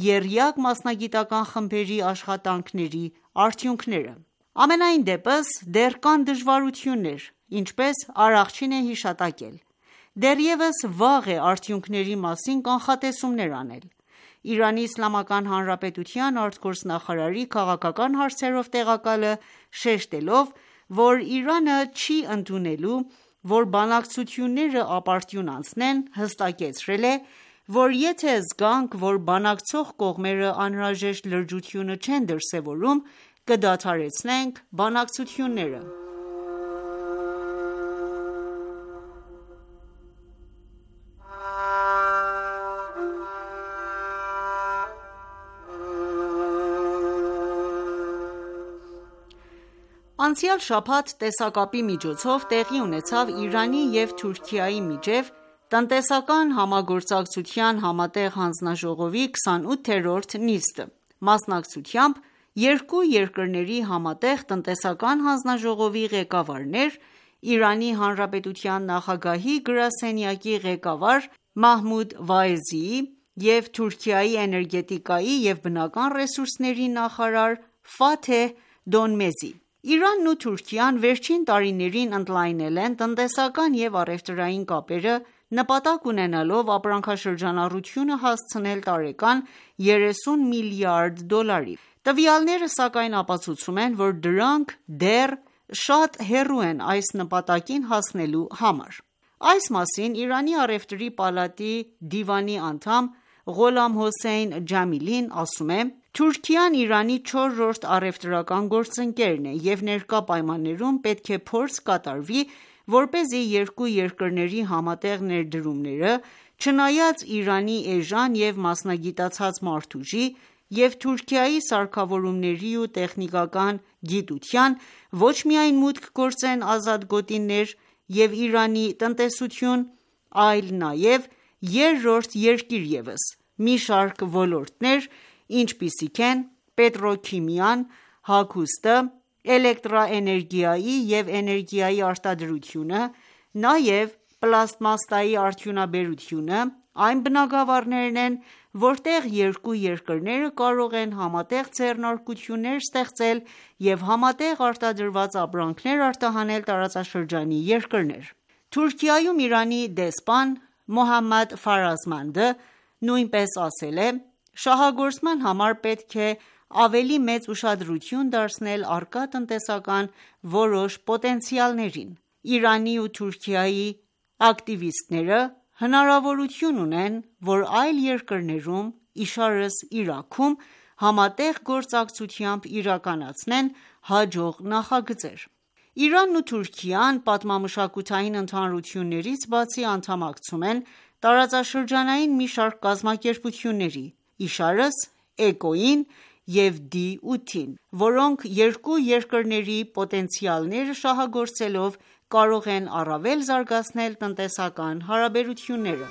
եռյակ մասնագիտական խմբերի աշխատանքների արդյունքները: Համենայն դեպս, դեռ կան դժվարություններ, ինչպես Արաղչին է հիշատակել: Դեռևս վաղ է արդյունքների մասին կանխատեսումներ անել: ԻԻՀ արտգործնախարարի քաղաքական հարցերով տեղակալը շեշտելով, որ Իրանը չի ընդունելու, որ բանակցությունները ապարդյուն անցնեն, հստակեցրել է, որ եթե զգանք, որ բանակցող կողմերը անհրաժեշտ լրջությունը չեն դրսևորում, կդադարեցնենք բանակցությունները: Անցյալ շաբաթ տեսակապի միջոցով տեղի ունեցավ Իրանի և Թուրքիայի միջև տնտեսական համագործակցության համատեղ հանձնաժողովի քսանութերորդ նիստը, մասնակցությամբ երկու երկրների համատեղ տնտեսական հանձնաժողովի ղեկավարներ, Իրանի Հանրապետության նախագահի գրասենյակի ղեկավար Մահմուդ Վայեզիի և Թուրքիայի էներգետիկայի և բնական ռեսուրսների նախարար Ֆաթեհ Դոնմեզի: Իրանն ու Թուրքիան վերջին տարիներին ընդլայնել են տնտեսական և առևտրային կապերը, նպատակ ունենալով ապրանքաշրջանառությունը հասցնել տարեկան երեսուն միլիարդ դոլարի: Տվյալները սակայն ապացուցում են, որ դրանք դեռ շատ հեռու են այս նպատակին հասնելու համար: Այս մասին Իրանի առևտրի պալատի դիվանի անդամ Ղոլամ Հոսեյն Ջամիլին ասում է. «Թուրքիան Իրանի չորրորդ առևտրական գործընկերն է և ներկա պայմաններում պետք է փորձ կատարվի, որպեսզի երկու երկրների համատեղ ներդրումները, չնայած Իրանի էժան և մասնագիտացած մարդուժի և Թուրքիայի սարքավորումների ու տեխնիկական գիտության, ոչ միայն մուտք գործեն ազատ գոտիներ և Իրանի տնտեսություն, այլ նաև երրորդ երկիր ևս: Մի շարք ոլորտներ, ինչպիսիք են պետրոքիմիան, հագուստը, էլեկտրաէներգիայի և էներգիայի արտադրությունը, նաև պլաստմասսայի արդյունաբերությունը, այն բնագավառներն են, որտեղ երկու երկրները կարող են համատեղ ձեռնարկություններ ստեղծել և համատեղ արտադրված ապրանքներ արտահանել տարածաշրջանի երկրներ»: Թուրքիայում Իրանի դեսպան Մոհամմադ Ֆարազմանդը նույնպես ասել է. «Շահագործման համար պետք է ավելի մեծ ուշադրություն դարձնել առկա տնտեսական որոշ պոտենցիալներին: Իրանի ու Թուրքիայի ակտիվիստները հնարավորություն ունեն, որ այլ երկրներում, իշարս Իրաքում, համատեղ գործակցությամբ իրականացնեն հաջող նախագծեր»: Իրանն ու Թուրքիան պատմամշակութային ընդհանրություններից բացի անդամակցում են տարածաշրջանային մի շարք կազմակերպությունների, իշարս էկոյին և դի ութին, որոնք երկու երկրների պոտենցիալները շահագործելով կարող են առավել զարգացնել տնտեսական հարաբերությունները: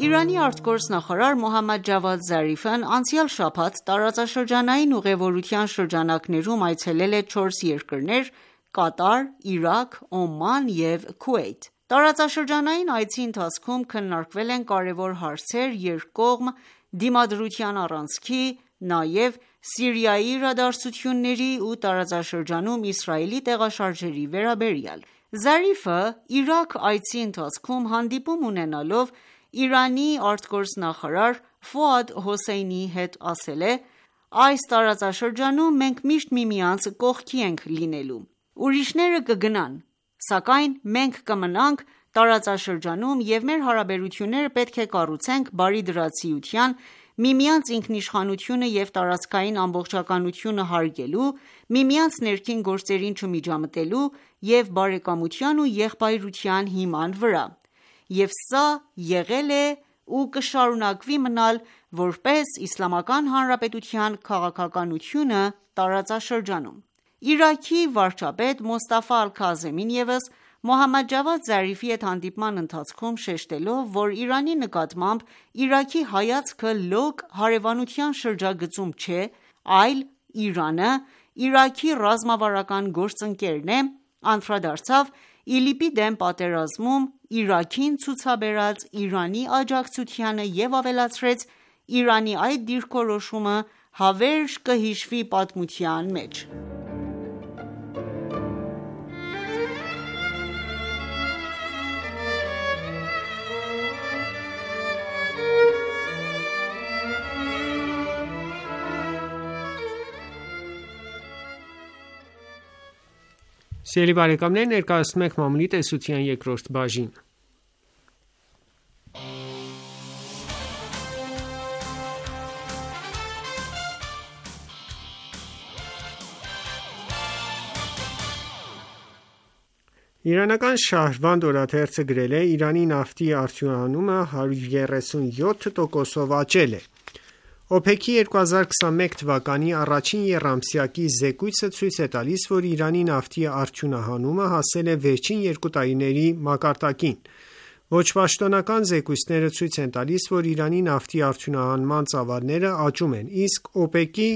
Իրանի արտգործնախարար Մոհամմադ Ջավադ Զարիֆն անցյալ շաբաթ տարածաշրջանային ուղևորության շրջանակներում այցելել է չորս երկրներ՝ Կատար, Իրաք, Օման և Քուվեյթ: Տարածաշրջանային այցի ընթացքում քննարկվել են կարևոր հարցեր երկկողմ դիմադրության առանցքի, նաև Սիրիայի իրադարձությունների ու տարածաշրջանում Իսրայելի տեղաշարժերի վերաբերյալ: Զարիֆը Իրաք այցի ընթացքում հանդիպում ունենալով Իրանի արտգործնախարար Ֆուադ Հոսեյնիի հետ ասել է. «Այս տարածաշրջանում մենք միշտ միմյանց կողքի ենք լինելու: Ուրիշները կգնան, սակայն մենք կմնանք տարածաշրջանում և մեր հարաբերությունները պետք է կառուցենք բարիդրացիության, միմյանց ինքնիշխանությունը և տարածքային ամբողջականությունը հարգելու, միմյանց ներքին գործերին չմիջամտելու և բարեկամության ու եղբայրության հիման վրա, և սա եղել է ու կշարունակվի մնալ որպես Իսլամական Հանրապետության քաղաքականությունը տարածաշրջանում: Իրաքի վարչապետ Մոստաֆա Ալ-Քազեմին ևս Մոհամմադ Ջավադ Զարիֆի հետ հանդիպման ընթացքում շեշտելով, որ Իրանի նկատմամբ Իրաքի հայացքը լոկ հարևանության շրջագծում չէ, այլ Իրանը Իրաքի ռազմավարական գործընկերն է, անդրադարձավ ԻԼԻՊ-ի դեմ պատերազմում Իրաքին ցուցաբերած Իրանի աջակցությանը և ավելացրեց. «Իրանի այդ դիրքորոշումը հավերժ կհիշվի պատմության մեջ»: Սիրելի բարեկամներ, ներկայացնում ենք մամուլի տեսության երկրորդ բաժինը: Իրանական Շահրվանդ օրաթերթը գրել է. «Իրանի նավթի արդյունահանումը հարյուր երեսունյոթ տոկոսով աճել է»: ՕՊԵԿ-ի երկու հազար քսանմեկ թվականի առաջին եռամսյակի զեկույցը ցույց է տալիս, որ Իրանի նավթի արդյունահանումը հասել է վերջին երկու տարիների մակարդակին: Ոչ պաշտոնական զեկույցները ցույց են տալիս, որ Իրանի նավթի արդյունահանման ծավալները աճում են, իսկ ՕՊԵԿ-ի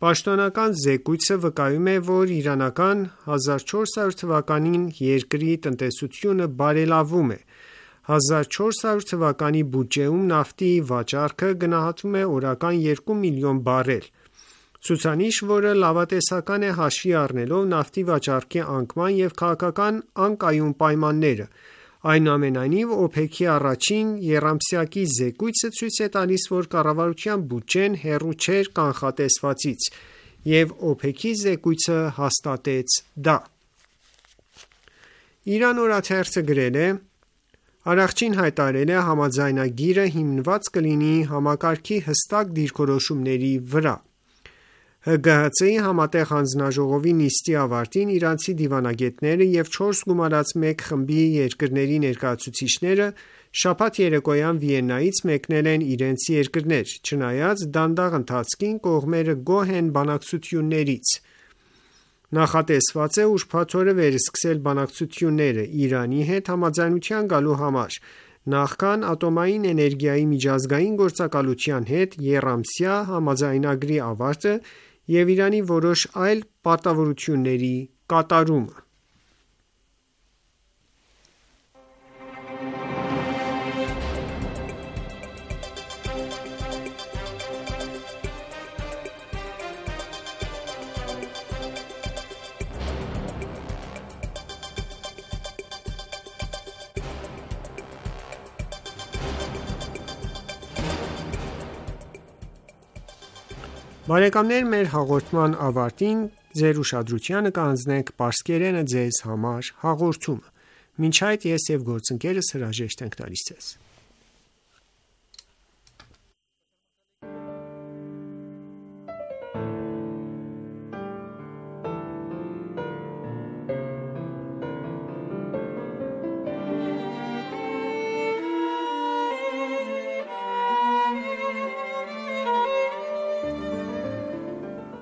պաշտոնական զեկույցը վկայում է, որ իրանական հազար չորս հարյուր թվականին երկրի տնտեսությունը բարելավում է: հազար չորս հարյուր թվականի բյուջեում նավթի վաճառքը գնահատվում է օրական երկու միլիոն բարել, ցուցանիշ, որը լավատեսական է հաշվի առնելով նավթի վաճառքի անկման և քաղաքական անկայուն պայմանները: Այնուամենայնիվ, ՕՊԵԿ-ի առաջին եռամսյակի զեկույցը ցույց է տալիս, որ կառավարության բյուջեն հեռու չէր կանխատեսվածից, և ՕՊԵԿ-ի զեկույցը հաստատեց դա: Իran օրաթերթը գրել է. «Արարչին հայտարարել է՝ համաձայնագիրը հիմնված կլինի համակարգի հստակ դիրքորոշումների վրա»: ՀԳՀԾ-ի համատեղ հանձնաժողովի նիստի ավարտին իրանցի դիվանագետները և չորս գումարած մեկ խմբի երկրների ներկայացուցիչները շաբաթ երեկոյան Վիեննայից մեկնել են իրենց երկրներ: Չնայած դանդաղ ընթացքին, կողմերը գոհ են բանակցություններից: Նախատեսված է ուրբաթ օրը վերսկսել բանակցությունները Իրանի հետ համաձայնության գալու համար, նախքան Ատոմային էներգիայի միջազգային գործակալության հետ եռամսյա համաձայնագրի ավարտը և Իրանի որոշ այլ պարտավորությունների կատարումը: Բարեկամներ մեր հաղորդման ավարտին ձեր ուշադրությանը կհանձնենք «Պարսկերենը ձեզ համար» հաղորդումը: Մինչ այդ ես և գործընկերս հրաժեշտ ենք տալիս ձեզ: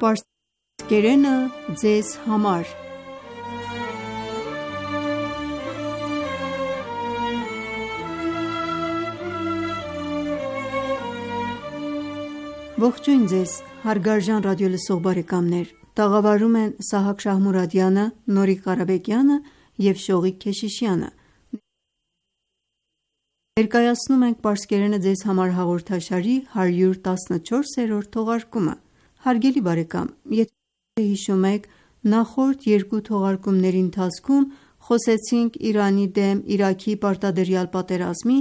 Պարսկերենը ձեզ համար Ողջույն ձեզ հարգարժան ռադիոլսող բարեկամներ: Տաղավարում են Սահակ Շահմուրադյանը, Նորիկ Ղարաբեկյանը և Շողիկ Քեշիշյանը: Ներկայացնում ենք «Պարսկերենը ձեզ համար» հաղորդաշարի հարյուր տասնչորսերորդ թողարկումը: Հարգելի բարեկամ, եթե հիշում եք, նախորդ երկու թողարկումների ընթացքում խոսեցինք Իրանի դեմ Իրաքի պարտադրյալ պատերազմի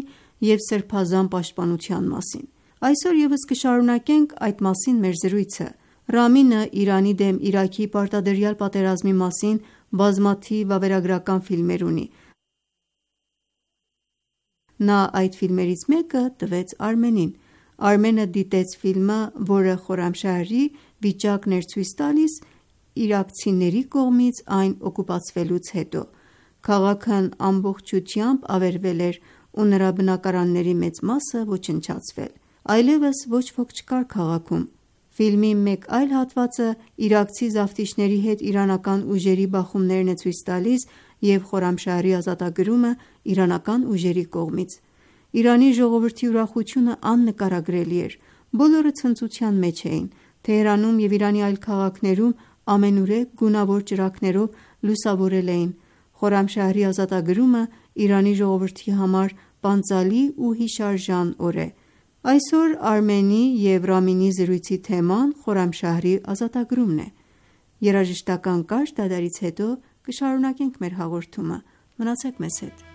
և Սրբազան պաշտպանության մասին: Այսօր ևս կշարունակենք այդ մասին մեր զրույցը: Ռամինը Իրանի դեմ Իրաքի պարտադրյալ պատերազմի մասին բազմաթիվ վավերագրական ֆիլմեր ունի: Նա այդ ֆիլմերից մեկը տվեց Արմենին: Արմենը դիտեց ֆիլմը, որը Խորամշահրի վիճակն էր ցույց տալիս իրաքցիների կողմից այն օկուպացվելուց հետո։ Քաղաքն ամբողջությամբ ավերվել էր ու նրա բնակարանների մեծ մասը ոչնչացվել։ Այլևս ոչ ոք չկար քաղաքում։ Ֆիլմի մեկ այլ հատվածը իրաքցի զավթիչների հետ իրանական ուժերի բախումներն է ցույց տալիս և Խորամշահրի ազատագրումը իրանական ուժերի կողմից։ Իրանի ժողովրդի ուրախությունը աննկարագրելի էր։ Բոլորը ցնծության մեջ էին։ Թեհրանում և Իրանի այլ քաղաքներում ամենուրեք գունավոր ճրագներով լուսավորել էին։ Խորամշահրի ազատագրումը Իրանի ժողովրդի համար պանծալի ու հիշարժան օր է։ Այսօր Արմենի և Ռամինի զրույցի թեման Խորամշահրի ազատագրումն է։ Երաժշտական կարճ դադարից հետո կշարունակենք մեր հաղորդումը։ Մնացեք մեզ հետ։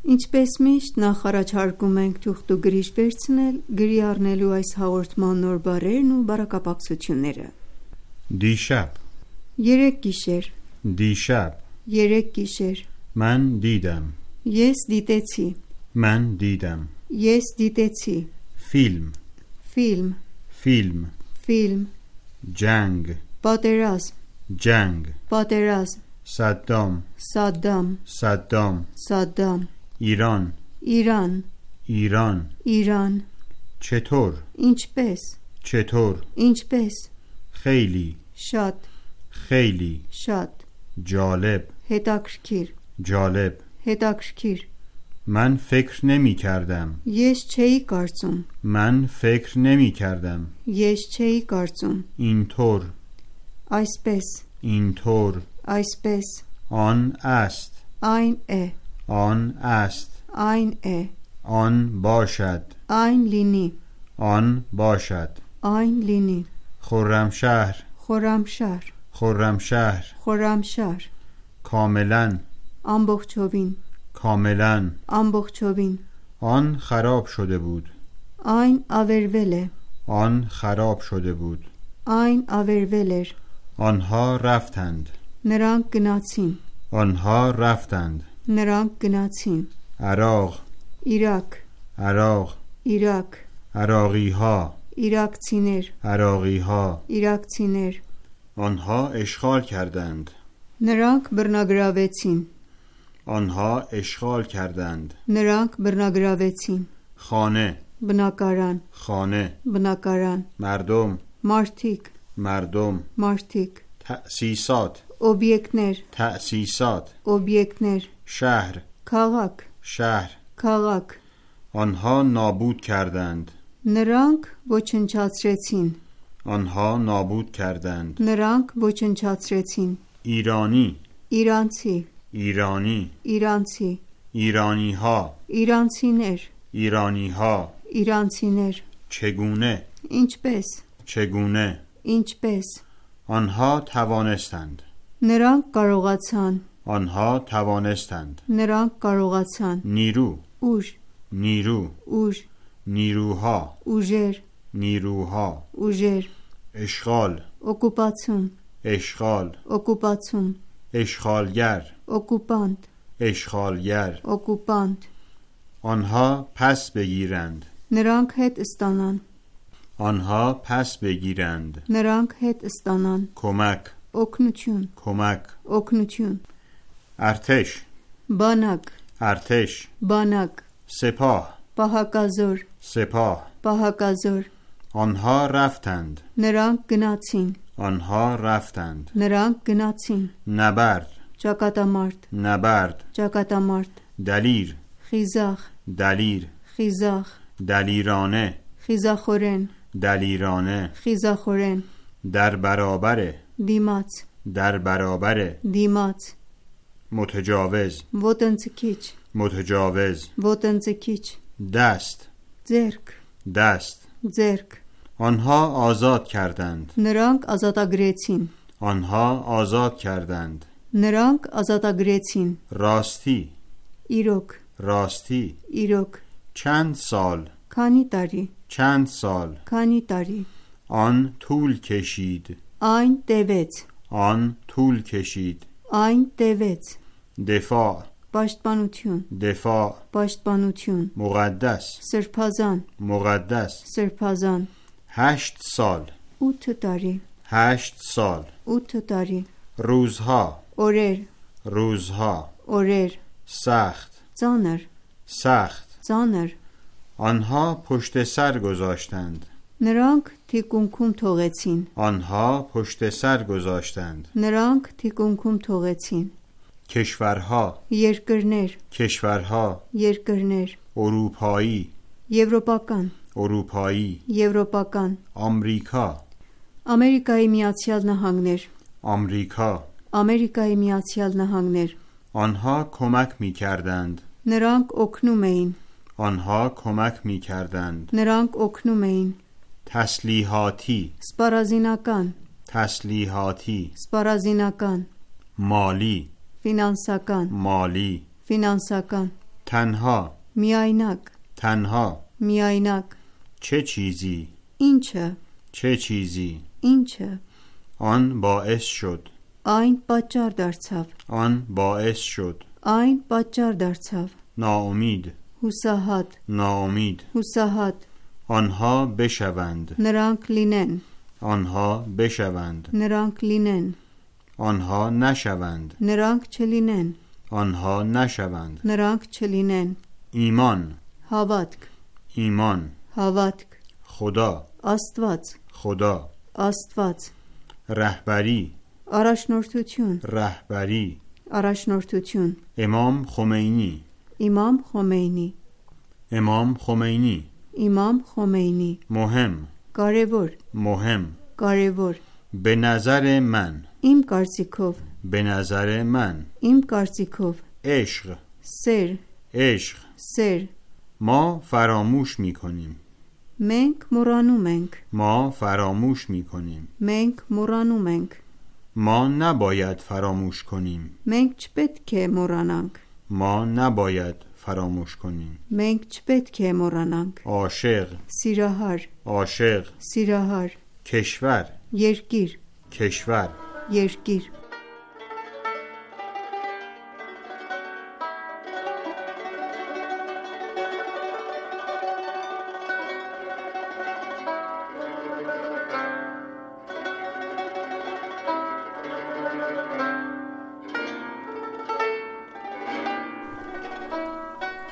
Ինչպես միշտ, նախ առաջարկում ենք թուղթուգրիչ վերցնել գրի առնելու այս հաղորդման նոր բառերն ու բառակապակցությունները։ دیشب Երեք գիշեր, دیشب երեք գիշեր, من دیدم ես դիտեցի, من دیدم ես դիտեցի, فیلم ֆիլմ, فیلم ֆիլմ, جنگ պատերազմ, جنگ պատերազմ, صدام Սադամ, صدام Սադամ, ایران Իրան, ایران Իրան, چطور ինչպես, چطور ինչպես, خیلی շատ, خیلی շատ, جالب հետաքրքիր, جالب հետաքրքիր, من فکر نمی کردم ես չէի կարծում, من فکر نمی کردم ես չէի կարծում, اینطور այսպես, اینطور այսպես, آن است այն է, آن است այն է, آن باشد այն լինի, آن باشد այն լինի, خرمشهر Խորամշահր, خرمشهر Խորամշահր, کاملا ամբողջովին, کاملا ամբողջովին, آن خراب شده بود այն ավերվել է, آن خراب شده بود այն ավերվել էր, آنها رفتند նրանք գնացին, آنها رفتند նրանք գնացին, عراق Իրաք, عراق Իրաք, عراقی ها իրաքցիներ, عراقی ها իրաքցիներ, آنها اشغال کردند նրանք բռնագրավեցին, آنها اشغال کردند նրանք բռնագրավեցին, خانه բնակարան, خانه բնակարան, مردم մարդիկ, مردم մարդիկ, تأسیسات օբյեկտներ, تأسیسات օբյեկտներ, شهر քաղաք, شهر քաղաք, آنها نابود کردند նրանք ոչնչացրեցին, آنها نابود کردند նրանք ոչնչացրեցին, ایرانی իրանցի, ایرانی իրանցի, ایرانی ها իրանցիներ, ایرانی ها իրանցիներ, چگونه ինչպես, چگونه ինչպես, آنها توانستند նրանք կարողացան, آنها توانستند նրանք կարողացան, نیرو ուժ, نیرو ուժ, نیروها ուժեր, نیروها ուժեր, اشغال օկուպացում, اشغال օկուպացում, اشغالگر օկուպանտ, اشغالگر օկուպանտ, آنها پس بگیرند նրանք հետ ստանան, آنها پس بگیرند նրանք հետ ստանան, کمک օգնություն, کمک օգնություն, ارتش բանակ, ارتش բանակ, سپاه պահակազոր, سپاه պահակազոր, آنها رفتند նրանք գնացին, آنها رفتند նրանք գնացին, نبرد ճակատամարտ, نبرد ճակատամարտ, دلیر խիզախ, دلیر խիզախ, دلیرانه խիզախորեն, دلیرانه խիզախորեն, در برابر դիմաց, در برابر դիմաց, متجاوز ոտնձգիչ, متجاوز ոտնձգիչ, دست ձերք, دست ձերք, آنها آزاد کردند նրանք ազատագրեցին, آنها آزاد کردند Նրանք ազատագրեցին։ راستی Իրոք, راستی իրոք, چند سال քանի տարի, چند سال քանի տարի, آن طول کشید այն տևեց, آن طول کشید այն տևեց, دفاع պաշտպանություն, دفاع պաշտպանություն, مقدس սրբազան, مقدس սրբազան, هشت سال ութ տարի, هشت سال ութ տարի, روزها օրեր, روزها օրեր, سخت ծանր, سخت ծանր, آنها پشت سر گذاشتند նրանք թիկունքում թողեցին, آنها پشت سر گذاشتند նրանք թիկունքում թողեցին, کشورها երկրներ, کشورها երկրներ, اروپایی եվրոպական, اروپایی եվրոպական, آمریکا Ամերիկայի Միացյալ Նահանգներ, آمریکا Ամերիկայի Միացյալ Նահանգներ, آنها کمک می کردند նրանք օգնում էին, آنها کمک می کردند նրանք օգնում էին, تسلیحاتی սպառազինական, تسلیحاتی սպառազինական, مالی ֆինանսական, مالی ֆինանսական, تنها միայնակ, تنها միայնակ, چه چیزی ինչը, چه چیزی ինչը, آن باعث شد այն պատճառ դարձավ, آن باعث شد այն պատճառ դարձավ, ناامید հուսահատ, ناامید հուսահատ, آنها بشوند նրանք լինեն, آنها بشوند նրանք լինեն, آنها نشوند նրանք չլինեն, آنها نشوند նրանք չլինեն, ایمان հավատք, ایمان հավատք, خدا Աստված, خدا Աստված, رهبری առաջնորդություն, رهبری առաջնորդություն, امام خمینی Իմամ Խոմեյնի, امام خمینی Իմամ Խոմեյնի, مهم կարևոր, مهم կարևոր, به نظر من իմ կարծիքով, به نظر من իմ կարծիքով, عشق սեր, عشق սեր, ما فراموش می کنیم մենք մոռանում ենք, ما فراموش می کنیم մենք մոռանում ենք, ما نباید فراموش کنیم մենք չպետք է մոռանանք, ما نباید فراموش کنیم մենք չպետք է մոռանանք, عاشق սիրահար, عاشق սիրահար, کشور երկիր, کشور երկիր,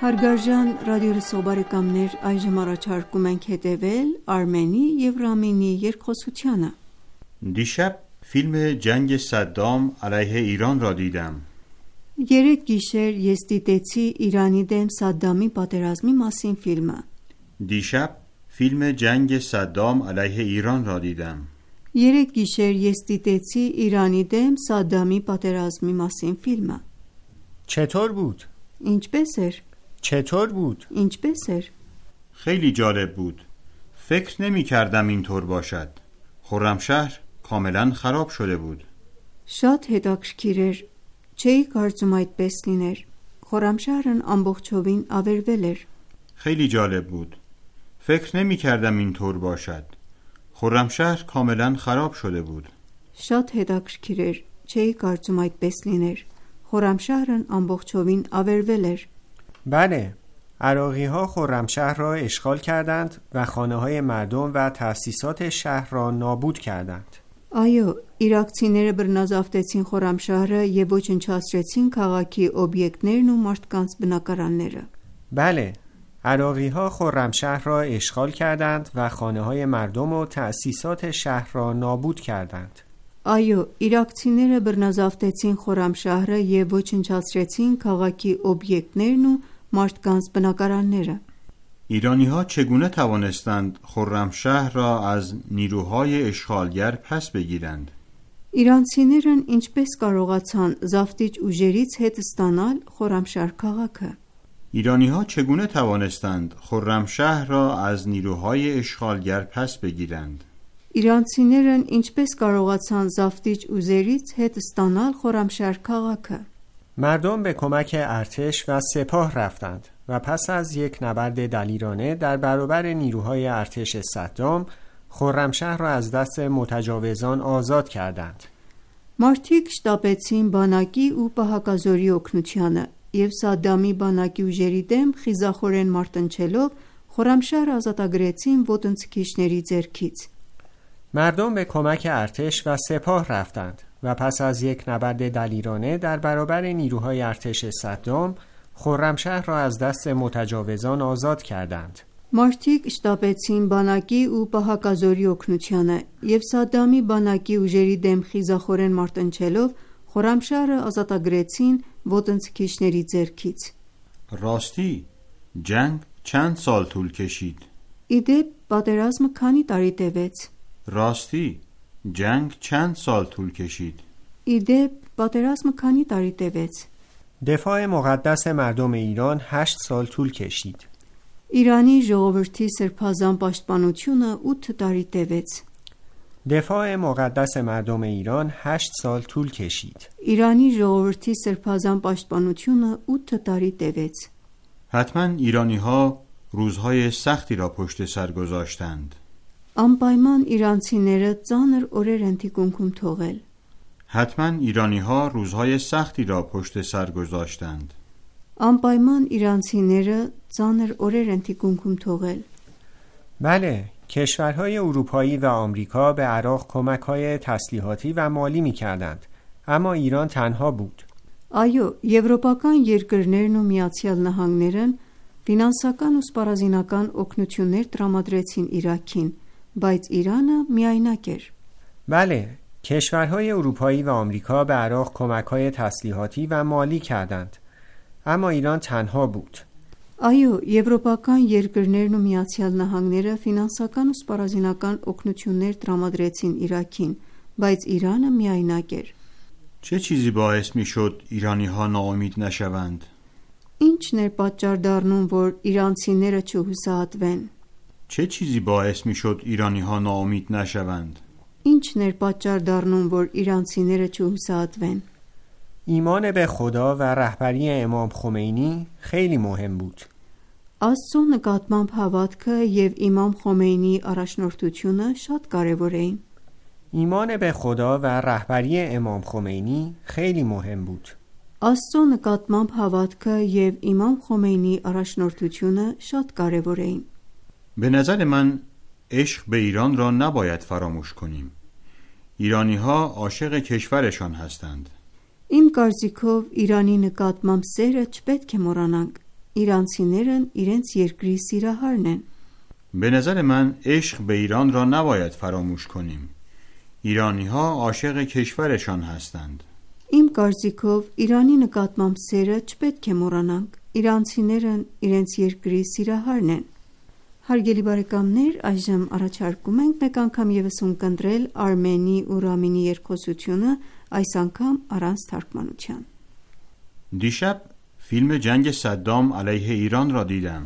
Հարգարժան ռադիոլսող բարեկամներ, այժմ առաջարկում ենք հետևել Արմենի և Ռամինի երկխոսությանը։ دیشب فیلم جنگ صدام علیه ایران را دیدم. Երեք գիշեր ես դիտեցի Իրանի դեմ Սադդամի պատերազմի մասին ֆիլմը։ دیشب فیلم جنگ صدام علیه ایران را دیدم. Երեք գիշեր ես դիտեցի Իրանի դեմ Սադդամի պատերազմի մասին ֆիլմը։ چطور بود؟ Ինչպես էր։ چطور بود؟ Ինչպես էր։ خیلی جالب بود. فکر نمی کردم اینطور باشد. خرمشهر کاملا خراب شده بود. Շատ հետաքրքիր էր։ Չէի կարծում այդպես լիներ։ Խորամշահրն ամբողջովին ավերվել էր։ خیلی جالب بود. فکر نمی کردم اینطور باشد. خرمشهر کاملا خراب شده بود. Շատ հետաքրքիր էր։ Չէի կարծում այդպես լիներ։ Խորամշահրն ամբողջովին ավերվել էր։ بله، عراقی ها خرمشهر را اشغال کردند و خانه های مردم و تأسیسات شهر را نابود کردند. Այո, իրաքցիները բռնազավթեցին Խորամշահրը եւ ոչնչացրեցին քաղաքի օբյեկտներն ու մարդկանց բնակարանները։ بله، عراقی ها خرمشهر را اشغال کردند و خانه های مردم و تأسیسات شهر را نابود کردند. Այո, իրաքցիները բռնազավթեցին Խորամշահրը եւ ոչնչացրեցին քաղաքի օբյեկտներն ու մարդկանց բնակարանները։ ایرانی ها چگونه توانستند خرمشهر را از نیروهای اشغالگر پس بگیرند؟ Իրանցիներն ինչպես կարողացան զավթիչ ուժերից հետ ստանալ Խորամշահր քաղաքը։ ایرانی ها چگونه توانستند خرمشهر را از نیروهای اشغالگر پس بگیرند؟ իրանցիներն ինչպես կարողացան զավթիչ ուժերից հետ ստանալ Խորամշահր քաղաքը։ مردم به کمک ارتش و سپاه رفتند و پس از یک نبرد دلیرانه در برابر نیروهای ارتش صدام خرمشهر را از دست متجاوزان آزاد کردند. Մարդիկ շտապեցին բանակի ու պահակազորի օգնությանը եւ Սադամի բանակի ուժերի դեմ խիզախորեն մարտնչելով Խորամշահրը ազատագրեցին ոտնձգիչների ձեռքից։ مردم به کمک ارتش و سپاه رفتند و پس از یک نبرد دلیرانه در برابر نیروهای ارتش صدام خرمشهر را از دست متجاوزان آزاد کردند. Մարդիկ շտապեցին բանակի ու պահակազորի օգնությանը եւ Սադամի բանակի ուժերի դեմ խիզախորեն մարտնչելով Խորամշահրը ազատագրեցին ոտնձգիչների ձեռքից։ راستی جنگ چند سال طول کشید؟ Իդեպ պատերազմը քանի տարի տևեց։ راستی جنگ چند سال طول کشید؟ Իդեպ պատերազմը քանի տարի տևեց։ دفاع مقدس مردم ایران هشت سال طول کشید. Իրանի ժողովրդի սրբազան պաշտպանությունը ութ տարի տևեց։ دفاع مقدس مردم ایران هشت سال طول کشید. Իրանի ժողովրդի սրբազան պաշտպանությունը ութ տարի տևեց։ حتما ایرانی ها روزهای سختی را پشت سر گذاشتند. Անպայման իրանցիները ծանր օրեր են թիկունքում թողել։ حتما ایرانی ها روزهای سختی را پشت سر گذاشتند. Անպայման իրանցիները ծանր օրեր են թիկունքում թողել։ بله، کشورهای اروپایی و آمریکا به عراق کمک‌های تسلیحاتی و مالی می‌کردند، اما ایران تنها بود. Այո, եվրոպական երկրներն ու Միացյալ Նահանգներն ֆինանսական ու սպառազինական օգնություններ տրամադրեցին Իրաքին, բայց Իրանը միայնակ էր։ بله، کشورهای اروپایی و آمریکا به عراق کمک‌های تسلیحاتی و مالی کردند، اما ایران تنها بود. Այո, եվրոպական երկրներն ու Միացյալ Նահանգները ֆինանսական ու սպառազինական օգնություններ տրամադրեցին Իրաքին, բայց Իրանը միայնակ էր։ چه چیزی باعث می شد ایرانی ها ناامید نشوند؟ Ինչն էր պատճառ դառնում, որ իրանցիները չհուսահատվեն։ چه چیزی باعث می شد ایرانی ها ناامید نشوند؟ Ինչն էր պատճառ դառնում, որ իրանցիները չհուսահատվեն։ ایمان به خدا و رهبری امام خمینی خیلی مهم بود. Աստծո նկատմամբ հավատքը եւ Իմամ Խոմեյնիի առաջնորդությունը շատ կարեւոր էին։ ایمان به خدا و رهبری امام خمینی خیلی مهم بود. Աստծո նկատմամբ հավատքը եւ Իմամ Խոմեյնիի առաջնորդությունը շատ կարեւոր էին։ به نظر من عشق به ایران را نباید فراموش کنیم. ایرانی ها عاشق کشورشان هستند. Իմ կարծիքով Իրանի նկատմամբ սերը չպետք է մոռանանք։ Իրանցիներն իրենց երկրի սիրահարն են։ به نظر من عشق به ایران را نباید فراموش کنیم. ایرانی ها عاشق کشورشان هستند. Իմ կարծիքով Իրանի նկատմամբ սերը չպետք է մոռանանք։ Իրանցիներն իրենց երկրի սիրահարն են։ Հարգելի բարեկամներ, այժմ առաջարկում ենք մեկ անգամ եւս ունկնդրել Արմենի ու Ռամինի երկխոսությունը, այս անգամ առանց թարգմանության։ دیشب فیلم جنگ صدام علیه ایران را دیدم.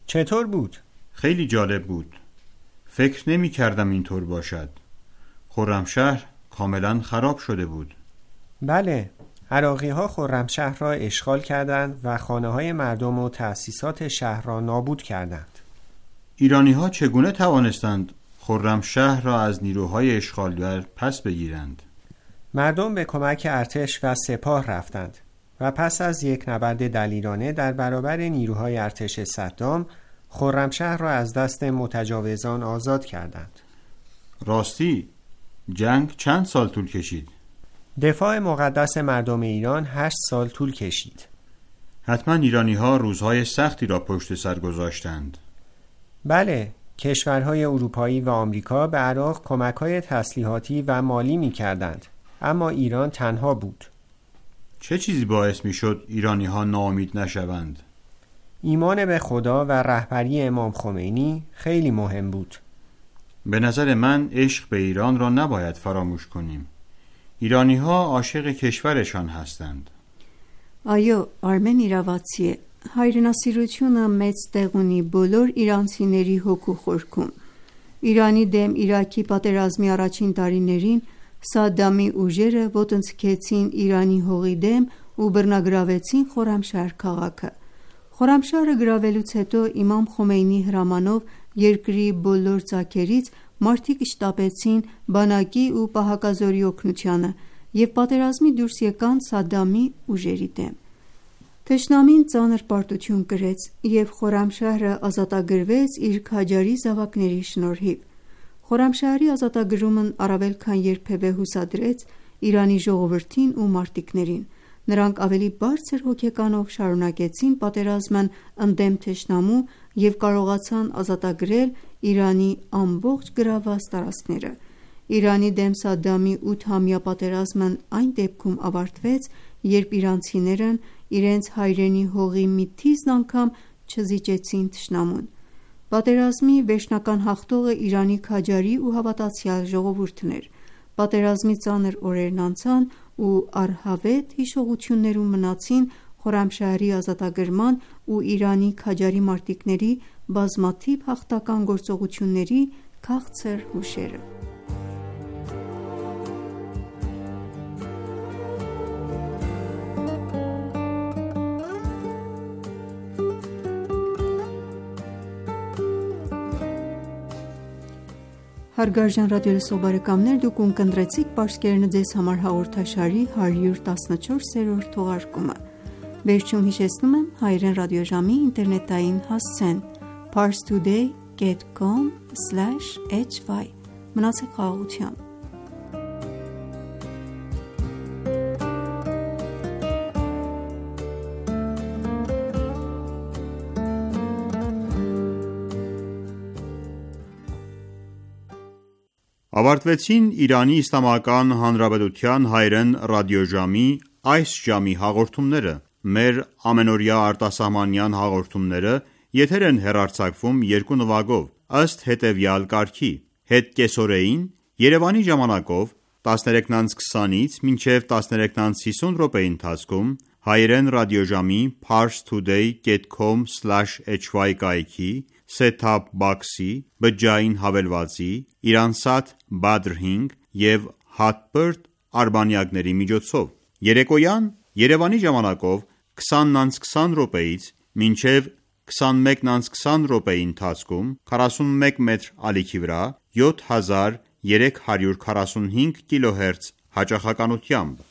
چطور بود؟ خیلی جالب بود. فکر نمی کردم اینطور باشد. خرمشهر کاملا خراب شده بود. بله، عراقی ها خرمشهر را اشغال کردند و خانه های مردم و تأسیسات شهر را نابود کردند. ایرانی ها چگونه توانستند خرمشهر را از نیروهای اشغالگر پس بگیرند؟ مردم به کمک ارتش و سپاه رفتند و پس از یک نبرد دلیرانه در برابر نیروهای ارتش صدام خرمشهر را از دست متجاوزان آزاد کردند. راستی جنگ چند سال طول کشید؟ دفاع مقدس مردم ایران هشت سال طول کشید. حتما ایرانی ها روزهای سختی را پشت سر گذاشتند. بله، کشورهای اروپایی و آمریکا به عراق کمک‌های تسلیحاتی و مالی می‌کردند، اما ایران تنها بود. چه چیزی باعث می‌شد ایرانی ها ناامید نشوند؟ ایمان به خدا و رهبری امام خمینی خیلی مهم بود. به نظر من عشق به ایران را نباید فراموش کنیم. ایرانی ها عاشق کشورشان هستند. Այո, Արմեն իրավացի է։ Հայրենասիրությունը մեծ տեղ ունի բոլոր իրանցիների հոգու խորքում։ Իրանի դեմ Իրաքի պատերազմի առաջին տարիներին Սադամի ուժերը ոտնձգեցին Իրանի հողի դեմ ու բռնագրավեցին Խորամշահր քաղաքը։ Խորամշահրը գրավելուց հետո իմամ Խոմեյնիի հրամանով երկրի բոլոր ծագերից մարդիկ շտապեցին բանակի ու պահակազորի օգնությանը և պատերազմի դուրս եկան Սադամի ուժերի դեմ։ Թշնամին ծանր պարտություն կրեց և Խորամշահրը ազատագրվեց իր քաջարի զավակների շնորհիվ։ Խորամշահրի ազատագրումն առավել քան երբևէ հուսադրեց Իրանի ժողովրդին ու մարտիկներին։ Նրանք ավելի բարձր հոգեկանով շարունակեցին պատերազմն ընդդեմ թշնամու և կարողացան ազատագրել Իրանի ամբողջ գրավված տարածքները։ Իրանի դեմ Սադամի ութամյա պատերազմն այն դեպքում ավարտվեց, երբ իրանցիներն իրենց հայրենի հողի մի թիզն անգամ չզիջեցին թշնամուն։ Պատերազմի վերջնական հաղթողը Իրանի քաջարի ու հավատացյալ ժողովուրդն էր։ Պատերազմի ծանր օրերն անցան ու առհավետ հիշողություններում մնացին Խորամշահրի ազատագրման ու Իրանի քաջարի մարտիկների բազմաթիվ հաղթական գործողությունների քաղցր հուշերը։ Հարգարժան ռադիոլսող բարեկամներ, դուք ունկնդրեցիք Պարսկերենը ձեզ համար հաղորդաշարի հարյուր տասնչորսերորդ թողարկումը։ Վերջում հիշեցնում եմ հայերեն ռադիոժամի ինտերնետային հասցեն parstoday dot com slash h y։ Մնացեք խաղաղությամբ։ Ավարտվեցին Իրանի Իսլամական Հանրապետության հայերեն ռադիոժամի այս ժամի հաղորդումները։ Մեր ամենօրյա արտասահմանյան հաղորդումները եթեր են հեռարձակվում երկու նվագով, ըստ հետևյալ կարգի. հետ կեսօրեին Երևանի ժամանակով տասներեքից քսանից մինչև տասներեքից հիսուն րոպեի ընթացքում հայերեն ռադիոժամի parstoday dot com slash h y կայքի set-top box-ի, բջջային հավելվածի, Իրանսատ Badr հինգ և Hotbird արբանյակների միջոցով։ Երեկոյան Երևանի ժամանակով քսանից քսան րոպեից մինչև քսանմեկից քսան րոպեի ընթացքում քառասունմեկ մետր ալիքի վրա յոթ հազար երեք հարյուր քառասունհինգ կիլոհերց հաճախականությամբ